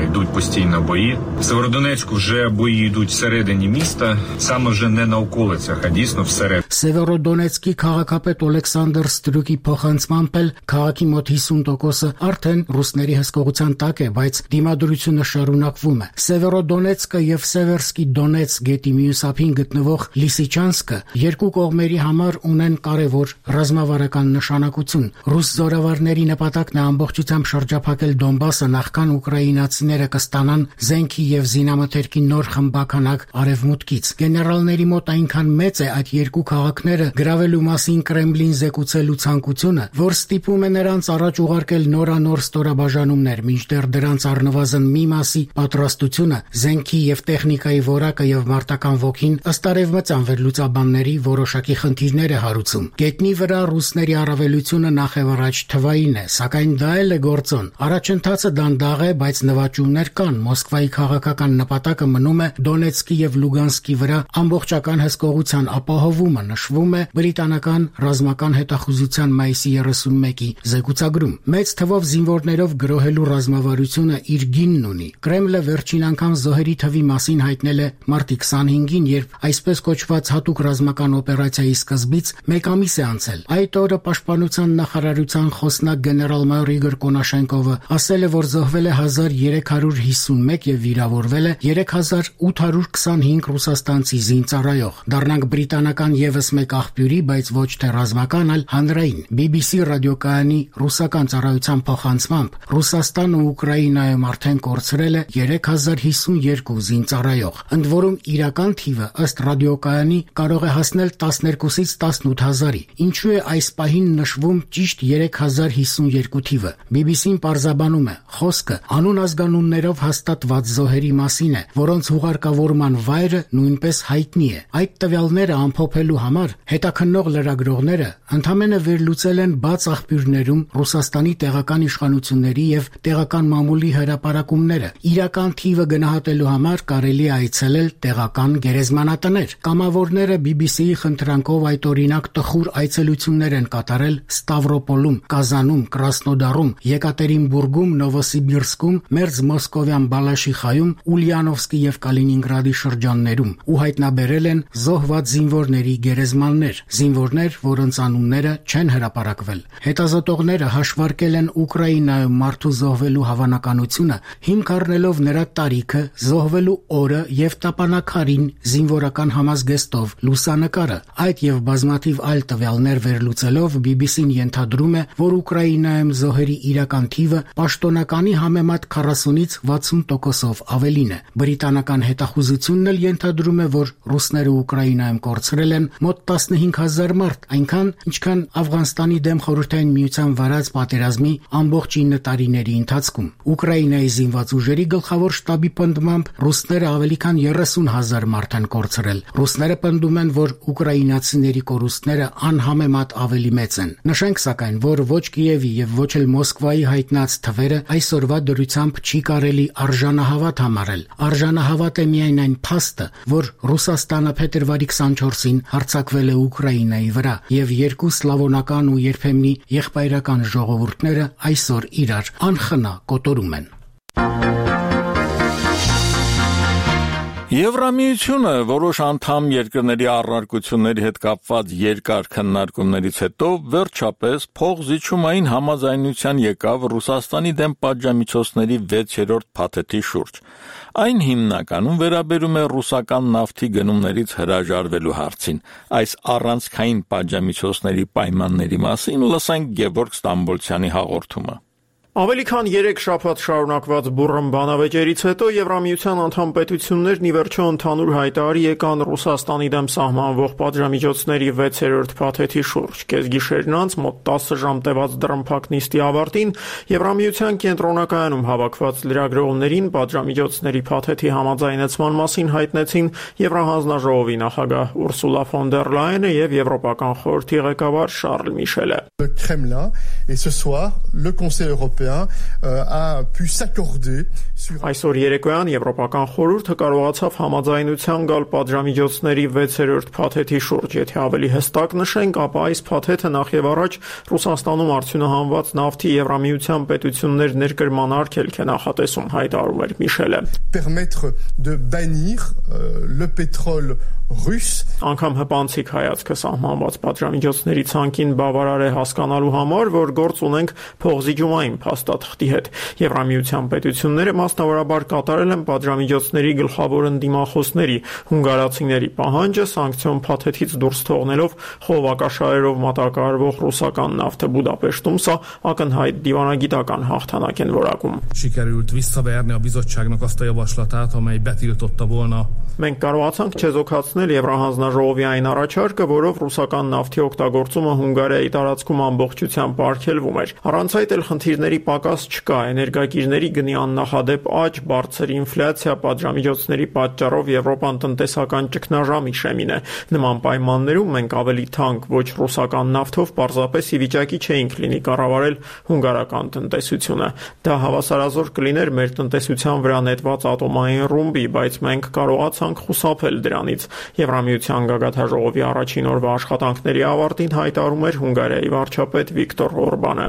Йдуть постійно бої. В Северодонецьку вже бої йдуть всередині міста, саме вже не на околицях, а дійсно всередині. Սևերոդոնեցկի քաղաքապետ Օլեքսանդր Ստրուկի փոխանցմամբ էլ քաղաքի մոտ հիսուն տոկոսը արդեն ռուսների հսկողության տակ է, բայց դիմադրությունը շարունակվում է։ Սևերոդոնեցկը եւ Սևերսկի Դոնեցկ գետի մյուս ափին գտնվող Լիսիչանսկը երկու կողմերի համար ունեն կարևոր ռազմավարական նշանակություն։ Ռուս զորավարների նպատակն է ամբողջությամբ շրջափակել Դոնբասը, նախքան ուկրաինացիները կստանան զենքի եւ զինամթերքի նոր խմբականակ արևմուտքից։ Գեներալների մոտ այնքան մեծ է այդ երկու քաղաքները գրավելու մասին Կրեմլին զեկուցելու ցանկությունը, որ ստիպում է նրանց առաջ ուղարկել նորանոր ստորաբաժանումներ, մինչդեռ դրանց առնվազն մի մասի պատրաստ իմաստությունը, զենքի եւ տեխնիկայի որակը եւ մարտական ոգին ըստ արևմտյան վերլուծաբանների որոշակի խնդիրներ է հարուցում։ Գետնի վրա ռուսների առավելությունը նախևառաջ թվային է, սակայն դա էլ է գործոն։ Առաջընթացը դանդաղ է, բայց նվաճումներ կան։ Մոսկվայի քաղաքական նպատակը մնում է Դոնեցկի եւ Լուգանսկի վրա ամբողջական հսկողության ապահովումը, նշվում է բրիտանական ռազմական հետախուզության մայիսի երեսունմեկի զեկուցագրում։ Մեծ թվով զինվորներով գրոհելու ռազմավարությունը իր գինն ունի։ Կրեմլը վերջին անգամ զոհերի թվի մասին հայտնել է մարտի քսանհինգին, երբ այսպես կոչված հատուկ ռազմական օպերացիայի սկզբից մեկ ամիս է անցել։ Այդ օրը պաշտպանության նախարարության խոսնակ գեներալ-մայոր Իգոր Կոնաշենկովը ասել է, որ զոհվել է հազար երեք հարյուր հիսունմեկ եւ վիրավորվել է երեք հազար ութ հարյուր քսանհինգ ռուսաստանցի զինծառայող։ Դառնանք բրիտանական եւս մեկ աղբյուրի, բայց ոչ թե ռազմական, այլ հանրային։ բի բի սի ռադիոկայանի ռուսական ծառայության փոխանցմամբ Ռուսաստանը Ուկրաինայում արդեն կորցրել է երեք հազար հիսուն երկու զինծառայող։ Ընդ որում իրական թիվը ըստ ռադիոկայանի կարող է հասնել տասներկուսից տասնութ հազարի։ Ինչու է այս պահին նշվում ճիշտ երեք հազար հիսուն երկու թիվը։ բի բի սին պարզաբանում է, խոսքը անուն ազգանուններով հաստատված զոհերի մասին է, որոնց հուղարկավորման վայրը նույնպես հայտնի է։ Այդ տվյալները ամփոփելու համար հետաքննող լրագրողները ընդամենը վերլուծել են բաց աղբյուրներում Ռուսաստանի տեղական իշխանությունների եւ տեղական մամուլի հրապարակումները։ Իրական թիվը գնահատելու համար կարելի է այցելել տեղական գերեզմանատներ։ Կամավորները բի բի սիի խնդրանքով այդ օրինակ տխուր այցելություններ են կատարել Ստավրոպոլում, Կազանում, Կրասնոդարում, Եկատերինբուրգում, Նովոսիբիրսկում, Մերձ Մոսկովյան Բալաշիխայում, Ուլիանովսկի եւ Կալինինգրադի շրջաններում ու հայտնաբերել են զոհված զինվորների գերեզմաններ, զինվորներ, որոնց անունները չեն հրապարակվել։ Հետազոտողները հաշվարկել են Ուկրաինայում մարդու զոհվելու հավանականությունը, հիմք առնելով նրա տարիքը, զոհվելու օրը եւ տապանակարին զինվորական համազգեստով լուսանկարը։ Այդ եւ բազմաթիվ այլ տվյալներ վերլուծելով բի բի սին ենթադրում է, որ Ուկրաինայում զոհերի իրական թիվը պաշտոնականի համեմատ քառասունից վաթսուն տոկոսով ավելին է։ Բրիտանական հետախուզությունն էլ ենթադրում է, որ ռուսները Ուկրաինայում կորցրել են մոտ տասնհինգ հազար մարդ, այնքան, ինչքան Աֆղանստանի դեմ Խորհրդային Միության վարած պատերազմի ամբողջ ինը տարիների ընթացքում։ Ուկրաինայի զինված ուժերի գլխավոր շտաբի պնդմամբ ռուսները ավելի քան երեսուն հազար մարդ են կորցրել։ Ռուսները պնդում են, որ ուկրաինացիների կորուստները անհամեմատ ավելի մեծ են։ Նշենք սակայն, որ ոչ Կիևի եւ ոչ էլ Մոսկվայի հայտնած թվերը այսօրվա դրությամբ չի կարելի արժանահավատ համարել։ Արժանահավատ է միայն այն փաստը, որ Ռուսաստանը փետրվարի քսանչորսին հարձակվել է Ուկրաինայի վրա եւ երկու սլավոնական ու երբեմնի եղբայրական ժողովուրդները այսօր իրար անխնա կոտորում են։ Եվրամիությունը որոշ անդամ երկրների առարկությունների հետ կապված երկար քննարկումներից հետո վերջապես փոխզիջումային համաձայնության եկավ Ռուսաստանի դեմ պատժամիջոցների վեցերորդ փաթեթի շուրջ։ Այն հիմնականում վերաբերում է ռուսական նավթի գնումներից հրաժարվելու հարցին։ Այս առանցքային պատժամիջոցների պայմանների մասին լսենք Գևորգ Ստամբոլցյանի հաղորդումը։ Ավելի քան երեք շաբաթ շարունակված բուռն բանավեճերից հետո Եվրամիության անդամ պետություններն ի վերջո ընդհանուր հայտարարի եկան Ռուսաստանի դեմ սահմանվող պատժամիջոցների վեցերորդ փաթեթի շուրջ։ Կեսգիշերն անց մոտ տասը ժամ տևած դռնփակ նիստի ավարտին Եվրամիության կենտրոնակայանում հավաքված լրագրողներին պատժամիջոցների փաթեթի համաձայնեցման մասին հայտնեցին Եվրահանձնաժողովի նախագահ Ուրսուլա ֆոն դեր Լայենը եւ Եվրոպական խորհրդի ղեկավար Շարլ Միշելը։ Այսօր երեկոյան Եվրոպական խորհուրդը կարողացավ համաձայնության գալ պատժամիջոցների վեցերորդ փաթեթի շուրջ։ Եթե ավելի հստակ նշենք, ապա այս փաթեթը նախևառաջ Ռուսաստանում արդյունահանված նավթի Եվրամիության պետություններ ներկրման արգելք է նախատեսում, հայտարարում էր Միշելը։ Անգամ հպանցիկ հայացքը սահմանված պատժամիջոցների ցանկին բավարար է հասկանալու համար, որ գործ ունենք փոխզիջումային փաստաթղթի հետ։ Եվրամիության պետությունները մասնավորաբար կատարել են պատժամիջոցների գլխավոր ընդդիմախոսների հունգարացիների պահանջը սանկցիոն փաթեթից դուրս թողնելով խողովակաշարերով մատակարարվող ռուսական նավթը Բուդապեշտում, սա ակնհայտ դիվանագիտական հաղթանակ են որակում։ Sikerült visszaverni a bizottságnak azt a javaslatát, amely betiltotta volna Մենք կարողացանք չեզոքացնել Եվրահանձնաժողովի այն առաջարկը, որով ռուսական նավթի օգտագործումը Հունգարիայի տարածքում ամբողջությամբ արգելվում էր։ Առանց այդ էլ խնդիրների պակաս չկա, էներգակիրների գնի աննախադեպ աճ, բարձր ինֆլյացիա, պատժամիջոցների պատճառով Եվրոպան տնտեսական ճգնաժամի շեմին է։ Նման պայմաններում մենք ավելի թանկ, ոչ ռուսական նավթով պարզապես ի վիճակի չէինք լինի կառավարել հունգարական տնտեսությունը։ Դա հավասարազոր կլիներ մեր տնտեսության վրա նետված ատոմային ռումբի, բայց մենք կարողացանք խուսափել դրանից։ Եվրամիության գագաթնաժողովի առաջին օրվա աշխատանքների ավարտին հայտարարում էր Հունգարիայի վարչապետ Վիկտոր Օրբանը։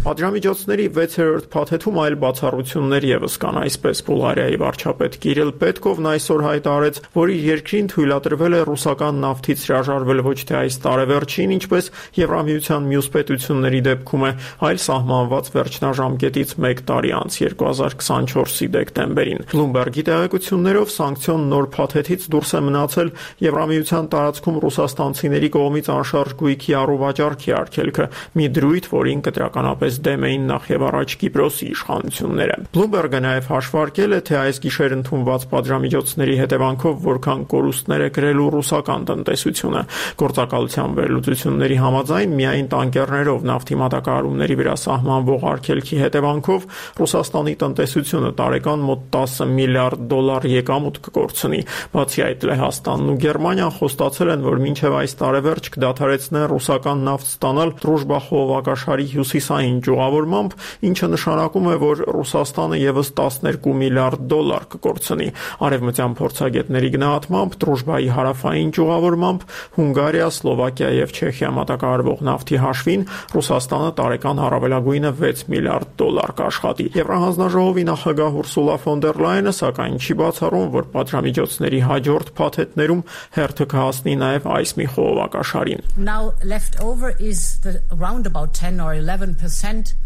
Պատժամիջոցների վեցերորդ փաթեթում այլ բացառություններ ևս կան, այսպես Բուլղարիայի վարչապետ Կիրիլ Պետկովն այսօր հայտարարեց, որ իր երկրին թույլատրվել է ռուսական նավթից հրաժարվել ոչ թե այս տարեվերջին, ինչպես Եվրամիության մյուս պետությունների դեպքում է, այլ սահմանված վերջնաժամկետից մեկ տարի անց երկու հազար քսանչորսի դեկտեմբերին։ Bloomberg-ի տեղեկություններով սանկցիոն նոր փաթեթից դուրս է մնացել Եվրամիության տարածքում ռուսաստանցիների կողմից անշարժ գույքի առուվաճառքի արգելքը, մի դրույթ, որին կտրականապես դեմ էին նախ եւ առաջ Կիպրոսի իշխանությունները։ Bloomberg-ը նաև հաշվարկել է, թե այս գիշեր ընդունված պատժամիջոցների հետևանքով որքան կորուստներ է կրելու ռուսական տնտեսությունը։ Գործակալության վերլուծությունների համաձայն միայն տանկերներով նավթի մատակարարումների վրա սահմանվող արգելքի հետևանքով Ռուսաստանի տնտեսությունը տարեկան մոտ տասը միլիարդ դոլար եկամուտ կկորցնի։ Բացի այդ, Լեհաստանն ու Գերմանիան խոստացել են, որ մինչև այս տարեվերջ կդադարեցնեն ռուսական նավթ ստանալ Դրուժբա խողովակաշարի հյուսիսային ճյուղավորմամբ, ինչը նշանակում է, որ Ռուսաստանը ևս տասներկու միլիարդ դոլար կկորցնի։ Արևմտյան փորձագետների գնահատմամբ Դրուժբայի հարավային ճյուղավորմամբ Հունգարիա, Սլովակիա եւ Չեխիա մատակարարվող նավթի հաշվին Ռուսաստանը տարեկան առավելագույնը վեց միլիարդ դոլար կաշխատի։ Եվրահանձնաժողովի նախագահ Ուրսուլա ֆոն դեր Լայենը սակայն չի բացառում, որ պատժամիջոցների հաջորդ փաթեթներում հերթը կհասնի նաև այս մի խողովակաշարին։ Now left over is the around about ten or eleven percent.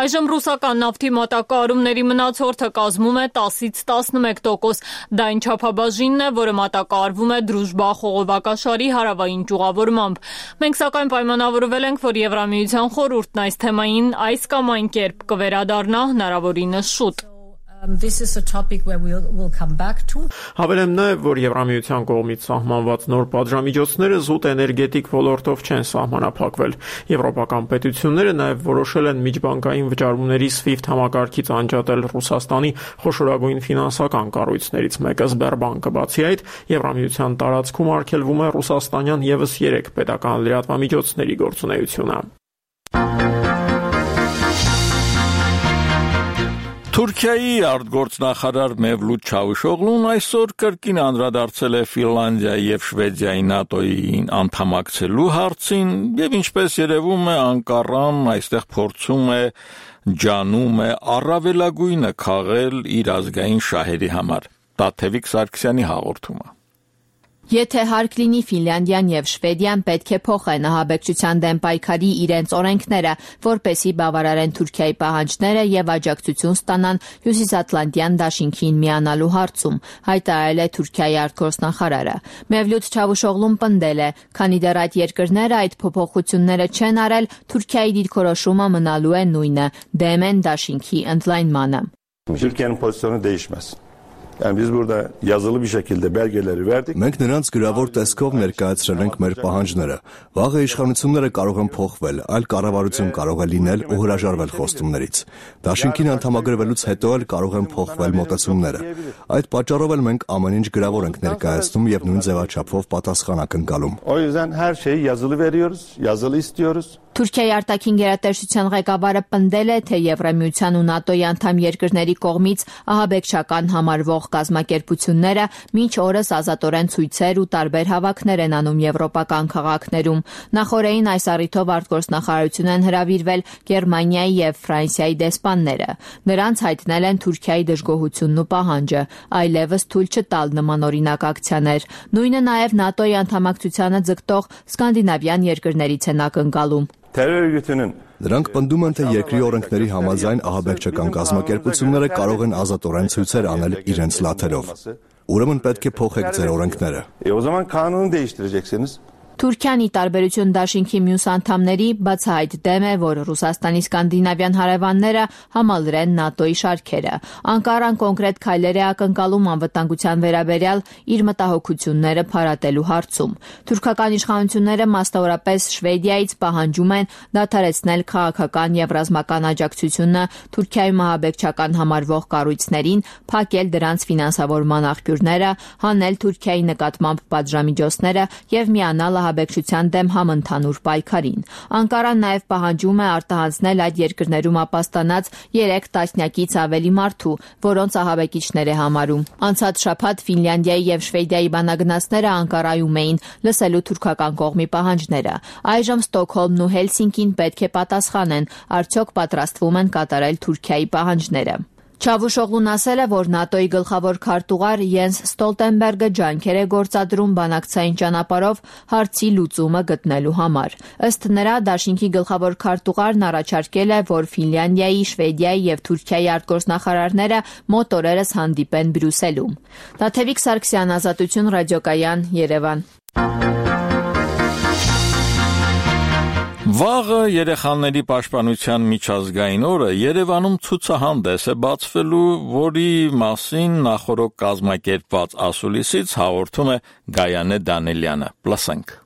Այժմ ռուսական նավթի մատակարարումների մնացորդը կազմում է տասից տասնմեկ տոկոս։ Դա այն չափաբաժինն է, որը մատակարարվում է Դրուժբա խողովակաշարի հարավային ճյուղավորմամբ։ Մենք սակայն պայմանավորվել ենք, որ Եվրամիության խորհուրդն այս թեմային այս կամ այն կերպ կվերադառնա հնարավորինս շուտ։ Um, this is a topic where we'll, we'll come back to. Հավելեմ նաև, որ Եվրամիության կողմից սահմանված նոր պատժամիջոցները զուտ էներգետիկ ոլորտով չեն սահմանափակվել։ Եվրոպական պետությունները նաև որոշել են միջբանկային վճարումների SWIFT համակարգից անջատել Ռուսաստանի խոշորագույն ֆինանսական կառույցներից մեկը Սբերբանկը։ Բացի այդ, Եվրամիության տարածքում արգելվում է ռուսաստանյան ևս երեք պետական լրատվամիջոցների գործունեությունը։ Թուրքիայի արտգործնախարար Մևլութ Չավուշօղլուն այսօր կրկին անդրադարձել է Ֆինլանդիայի եւ Շվեդիայի ՆԱՏՕ-ին անդամակցելու հարցին եւ ինչպես երևում է Անկարան այստեղ փորձում է ջանում է առավելագույնը քաղել իր ազգային շահերի համար։ Տաթևիկ Սարգսյանի հաղորդումը։ Եթե հարկ լինի Ֆինլանդիան եւ Շվեդիան պետք է փոխեն ահաբեկչության դեմ պայքարի իրենց օրենքները, որպեսզի բավարարեն Թուրքիայի պահանջները եւ աջակցություն ստանան Հյուսիսատլանտյան դաշինքին միանալու հարցում, հայտարարել է Թուրքիայի արտգործնախարարը։ Մևլութ Չավուշօղլուն պնդել է, քանի դեռ այդ երկրները այդ փոփոխությունները չեն արել, Թուրքիայի դիրքորոշումը մնալու է նույնը՝ դեմ են դաշինքի ընդլայնմանը։ Türkiye'nin pozisyonu değişmez. Yani biz burada yazılı bir şekilde belgeleri verdik. Մենք նրանց գրավոր տեսքով ներկայացրել ենք մեր պահանջները։ Վաղը իշխանությունները կարող են փոխվել, այլ կառավարություն կարող է լինել ու հրաժարվել խոստումներից։ Դաշինքին անդամագրվելուց հետո էլ կարող են փոխվել մոտեցումները։ Այդ պատճառով էլ մենք ամեն ինչ գրավոր ենք ներկայացնում եւ նույն ձևաչափով պատասխան ակնկալում։ O yüzden her şeyi yazılı veriyoruz, yazılı istiyoruz. Թուրքիայի արտաքին գերատեսչության ղեկավարը պնդել է, թե Եվրամիության ու ՆԱՏՕ-ի անդամ երկրների կողմից ահաբեկչական համարվող կազմակերպությունները մինչ օրս ազատորեն ցույցեր ու տարբեր հավաքներ են անում եվրոպական քաղաքներում։ Նախորդին այս առիթով արտգործնախարարություն են հրավիրվել Գերմանիայի եւ Ֆրանսիայի դեսպանները։ Նրանց հայտնել են Թուրքիայի դժգոհությունն ու պահանջը, այլևս թույլ չտալ նմանօրինակ ակցիաներ։ Նույնը նաեւ ՆԱՏՕ-ի անդամակցությանը ձգտող սկանդինավյան երկրներից են ակնկալում։ Նրանք պնդում են, թե երկրի օրենքների համաձայն ահաբեկչական կազմակերպությունները կարող են ազատորեն ցույցեր անել իրենց լաթերով։ Ուրեմն պետք է փոխեք ձեր օրենքները։ E o zaman kanunu değiştireceksiniz. Թուրքիան ի տարբերություն դաշինքի մյուս անդամների բացահայտ դեմ է, որ Ռուսաստանի սկանդինավյան հարևանները համալրեն ՆԱՏՕ-ի շարքերը։ Անկարան կոնկրետ քայլեր է ակնկալում անվտանգության վերաբերյալ իր մտահոգությունները փարատելու հարցում։ Թուրքական իշխանությունները մասնավորապես Շվեդիայից պահանջում են դադարեցնել քաղաքական եւ ռազմական աջակցությունը Թուրքիայում ահաբեկչական համարվող կառույցներին, փակել դրանց ֆինանսավորման աղբյուրները, հանել Թուրքիայի նկատմամբ պատժամիջոցները եւ միանալ ահաբեկչության դեմ համընդհանուր պայքարին։ Անկարան նաեւ պահանջում է արտահանձնել այդ երկրներում ապաստանած երեք տասնյակից ավելի մարդու, որոնց ահաբեկիչներ է համարում։ Անցած շաբաթ Ֆինլանդիայի եւ Շվեդիայի բանագնացները Անկարայում էին լսելու թուրքական կողմի պահանջները։ Այժմ Ստոկհոլմն ու Հելսինկին պետք է պատասխանեն, արդյոք պատրաստվում են կատարել Թուրքիայի պահանջները։ Չավուշօղլուն ասել է, որ ՆԱՏՕ-ի գլխավոր քարտուղար Յենս Ստոլտենբերգը ջանքեր է գործադրում բանակցային ճանապարհով հարցի լուծումը գտնելու համար։ Ըստ նրա, դաշինքի գլխավոր քարտուղարն առաջարկել է, որ Ֆինլանդիայի, Շվեդիայի եւ Թուրքիայի արտգործնախարարները մոտ օրերս հանդիպեն Բրյուսելում։ Տաթևիկ Սարգսյան, Ազատություն, Ռադիոկայան, Երևան։ Վաղը երեխաների պաշտպանության միջազգային օրը Երևանում ցուցահանդես է բացվելու, որի մասին նախորդ կազմակերպված ասուլիսից հաղորդում է Գայանե Դանելյանը։ Լսենք։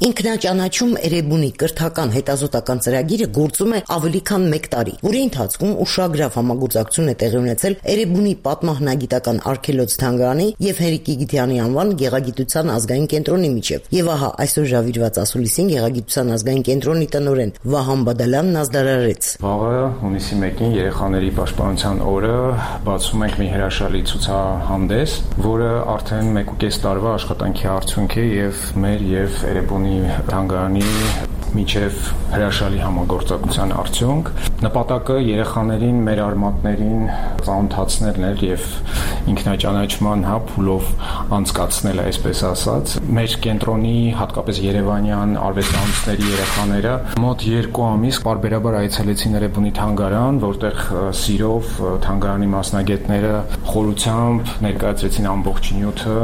Ինքնաճանաչում Էրեբունի կրթական հետազոտական ծրագիրը գործում է ավելի քան մեկ տարի, որի ընթացքում ուշագրավ համագործակցություն է տեղի ունեցել Էրեբունի պատմահնագիտական արգելոց-թանգարանի եւ Հերիկ Իգիթյանի անվան գեղագիտության ազգային կենտրոնի միջև։ Եվ ահա այսօր ժավիրված ասուլիսին գեղագիտության ազգային կենտրոնի տնօրեն Վահան Բադալյանն ազդարարեց։ Վաղը հունիսի մեկին երեխաների պաշտպանության օրը բացում ենք մի հրաշալի ցուցահանդես, որը արդեն մեկ ու կես տարվա աշխատանքի արդյունք է եւ մեր եւ Էրեբունի թանգարանի միջև հրաշալի համագործակցության արդյունք։ Նպատակը երեխաներին, մեր արմատներին ծանոթացնելն էր եւ ինքնաճանաչման հա փուլով անցկացնել, այսպես ասած։ Մեր կենտրոնի, հատկապես երևանյան արվեստանոցների երեխաները մոտ երկու ամիս պարբերաբար այցելեցին Էրեբունի թանգարան, որտեղ սիրով թանգարանի մասնագետները խորությամբ ներկայացրեցին ամբողջ նյութը,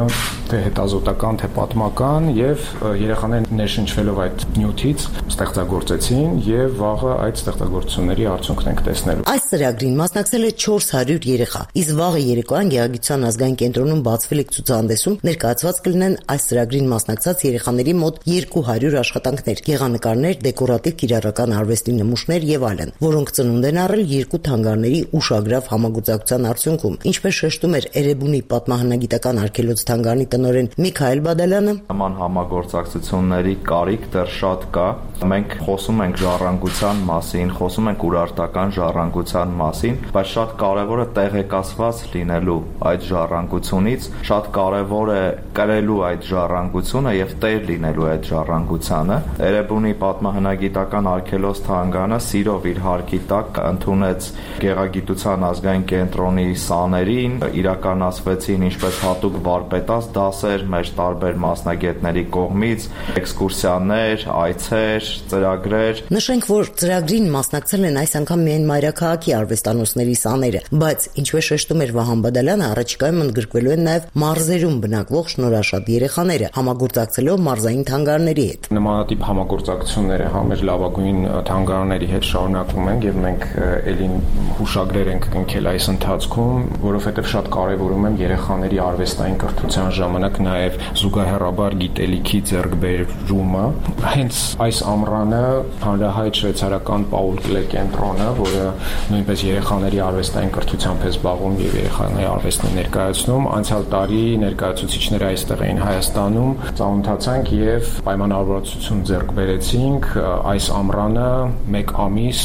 թե հետազոտական, թե պատմական, եւ երեխաները ներշնչվելով այդ նյութից ստեղծագործեցին եւ վաղը այդ ստեղծագործությունների արդյունքն ենք տեսնելու։ Այս ծրագրին մասնակցել է չորս հարյուր երեխա, իսկ վաղը երեկոյան Գեղագիտության ազգային կենտրոնում բացվելիք ցուցահանդեսում ներկայացված կլինեն այս ծրագրին մասնակցած երեխաների մոտ երկու հարյուր աշխատանքներ, գեղանկարներ, դեկորատիվ կիրառական արվեստի նմուշներ եւ այլն, որոնք ծնունդ են առել երկու թանգարների ուշագրավ համագործակցության արդյունքում։ Ինչպես շեշտում էր Էրեբունի պատմահնագիտական արգելոց-թանգարանի տնօրեն Միքայել Բադալյանը, նման համագործակցությունների կարիք դեռ շատ կա։ Մենք խոսում ենք ժառանգության մասին, խոսում ենք ուրարտական ժառանգության մասին, բայց շատ կարևոր է տեղեկացված լինելու այդ ժառանգությունից, շատ կարևոր է կրելու այդ ժառանգությունը եւ տեր լինելու այդ ժառանգությանը։ Էրեբունի պատմահնագիտական արգելոց-թանգարանը սիրով իր հարկի տակ ընդունեց Գեղագիտության ազգային կենտրոնի սաներին, իրականացվեցին ինչպես հատուկ վարպետաց դասեր մեր տարբեր մասնագետների կողմից, էքսկուրսիաներ, այցեր, ծրագրեր։ Նշենք, որ ծրագրին մասնակցել են այս անգամ միայն մայրաքաղաքի արվեստանոցների սաները, բայց ինչպես շեշտում էր Վահան Բադալյանը, առաջիկայում ընդգրկվելու են նաև մարզերում բնակվող շնորհաշատ երեխաները, համագործակցելով մարզային թանգարանների հետ։ Նմանատիպ համագործակցությունները համեր լավագույն թանգարանների հետ շարունակվում են եւ մենք ելին հուշագրեր ենք կնքել այս ընթացքում, որովհետեւ շատ կարեւորում եմ երեխաների արվեստային կրթության ժամանակ նաև զուգահեռաբար գիտելիքի ձեռքբերումը։ Հենց այս ամռանը հանրահայտ շվեյցարական Պաուլ Կլե կենտրոնը, որը նույնպես երեխաների արվեստային կրթությամբ է զբաղվում եւ երեխաների արվեստն է ներկայացնում, անցյալ տարի ներկայացուցիչները այստեղ էին Հայաստանում, ծանոթացանք եւ պայմանավորվածություն ձեռք բերեցինք այս ամռանը մեկ ամիս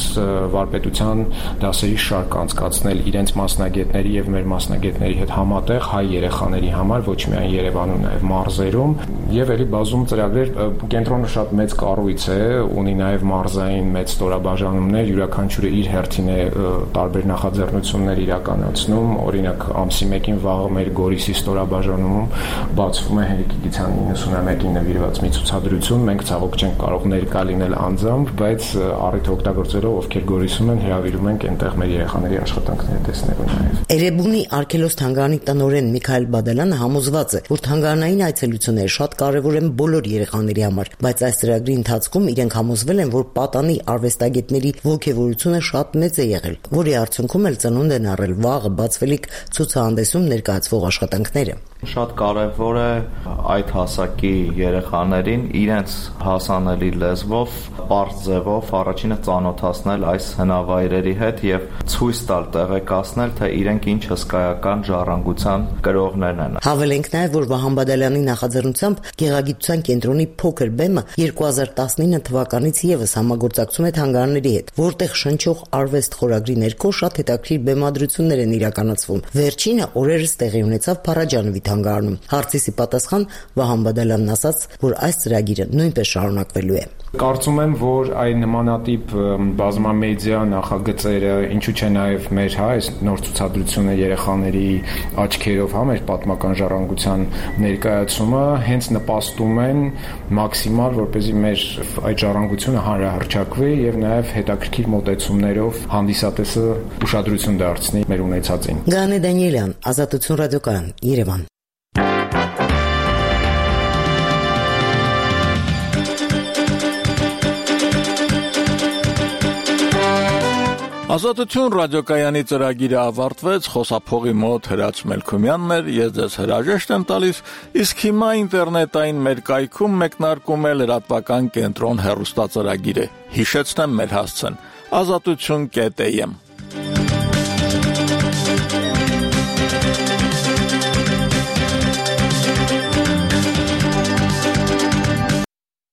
վարպետության դասերի շարք անցկացնել իրենց մասնագետների եւ մեր մասնագետների հետ համատեղ հայ երեխաների համար, ոչ միայն Երևանում, նաեւ մարզերում եւ ելի բազում ծրագրեր։ Կենտրոնը շատ մեծ կառույց է, ունի նաև մարզային մեծ ստորաբաժանումներ, յուրաքանչյուրը իր հերթին է տարբեր նախաձեռնություններ իրականացնում, օրինակ ամսի մեկին վաղը մեր Գորիսի ստորաբաժանում բացվում է Հենրիկ Իգիթյանի իննսունամեկին նվիրված մի ցուցադրություն, մենք ցավոք չենք կարող ներկա լինել անձամբ, բայց առիթ օգտագործելով ովքեր Գորիսում են, հրավիրում ենք այնտեղ մեր երեխաների աշխատանքները տեսնելու նաև։ Էրեբունի արգելոց թանգարանի տնօրեն Միքայել Բադալյանը համոզված է, որ թանգարանային այցելությունները շատ կարևոր են բոլոր երեխաների համար, բայց այս ծրագրի ընթացքում իրենք համոզվել են, որ պատանի արվեստագետների ոգևորությունը շատ մեծ է եղել, որի արդյունքում էլ ծնունդ են առել վաղը բացվելիք ցուցահանդեսում ներկայացվող աշխատանքները։ Շատ կարևոր է այդ հասակի երեխաներին իրենց հասանելի լեզվով, պարզ ձևով առաջինը ծանոթացնել այս հնավայրերի հետ եւ ցույց տալ, տեղեկացնել, թե իրենք ինչ հսկայական ժառանգության կրողներն են։ Հավելենք նաեւ, որ Վահան Բադալյանի նախաձեռնությամբ Գեղագիտության կենտրոնի փոքր բեմը երկու հազար տասնինը թվականից եւս համագործակցում է թանգարանների հետ, որտեղ շնչող արվեստ խորագրի ներքո շատ հետաքրքիր բեմադրություններ են իրականացվում։ Վերջինը օրերս տեղի ունեցավ Փարաջանովի թանգարանում։ Հարցիսի պատասխան Վահան Բադալյանն ասաց, որ այս ծրագիրը նույնպես շարունակվելու է։ Կարծում եմ, որ այն նմանատիպ բազմամեդիա նախագծերը, ինչու՞ չէ նաև մեր հա այս նոր ցուցադրությունը երեխաների աչքերով հա մեր պատմական ժառանգության ներկայացումը հենց նպաստում են մաքսիմալ, որպեսզի մեր այդ ժառանգությունը հանրահռչակվի եւ նաև հետաքրքիր մոտեցումներով հանդիսատեսը ուշադրություն դարձնի մեր ունեցածին։ Գանե Դանիելյան, Ազատություն ռադիոկայան, Երևան։ Ազատություն ռադիոկայանի ծրագիրը ավարտվեց, խոսափողի մոտ Հրաչ Մելքումյանն էր, ես ձեզ հրաժեշտ եմ տալիս, իսկ հիմա ինտերնետային մեր կայքում մեկնարկում է լրատվական կենտրոն հեռուստածրագիրը։ Հիշեցնեմ մեր հասցեն՝ ազատություն կետ am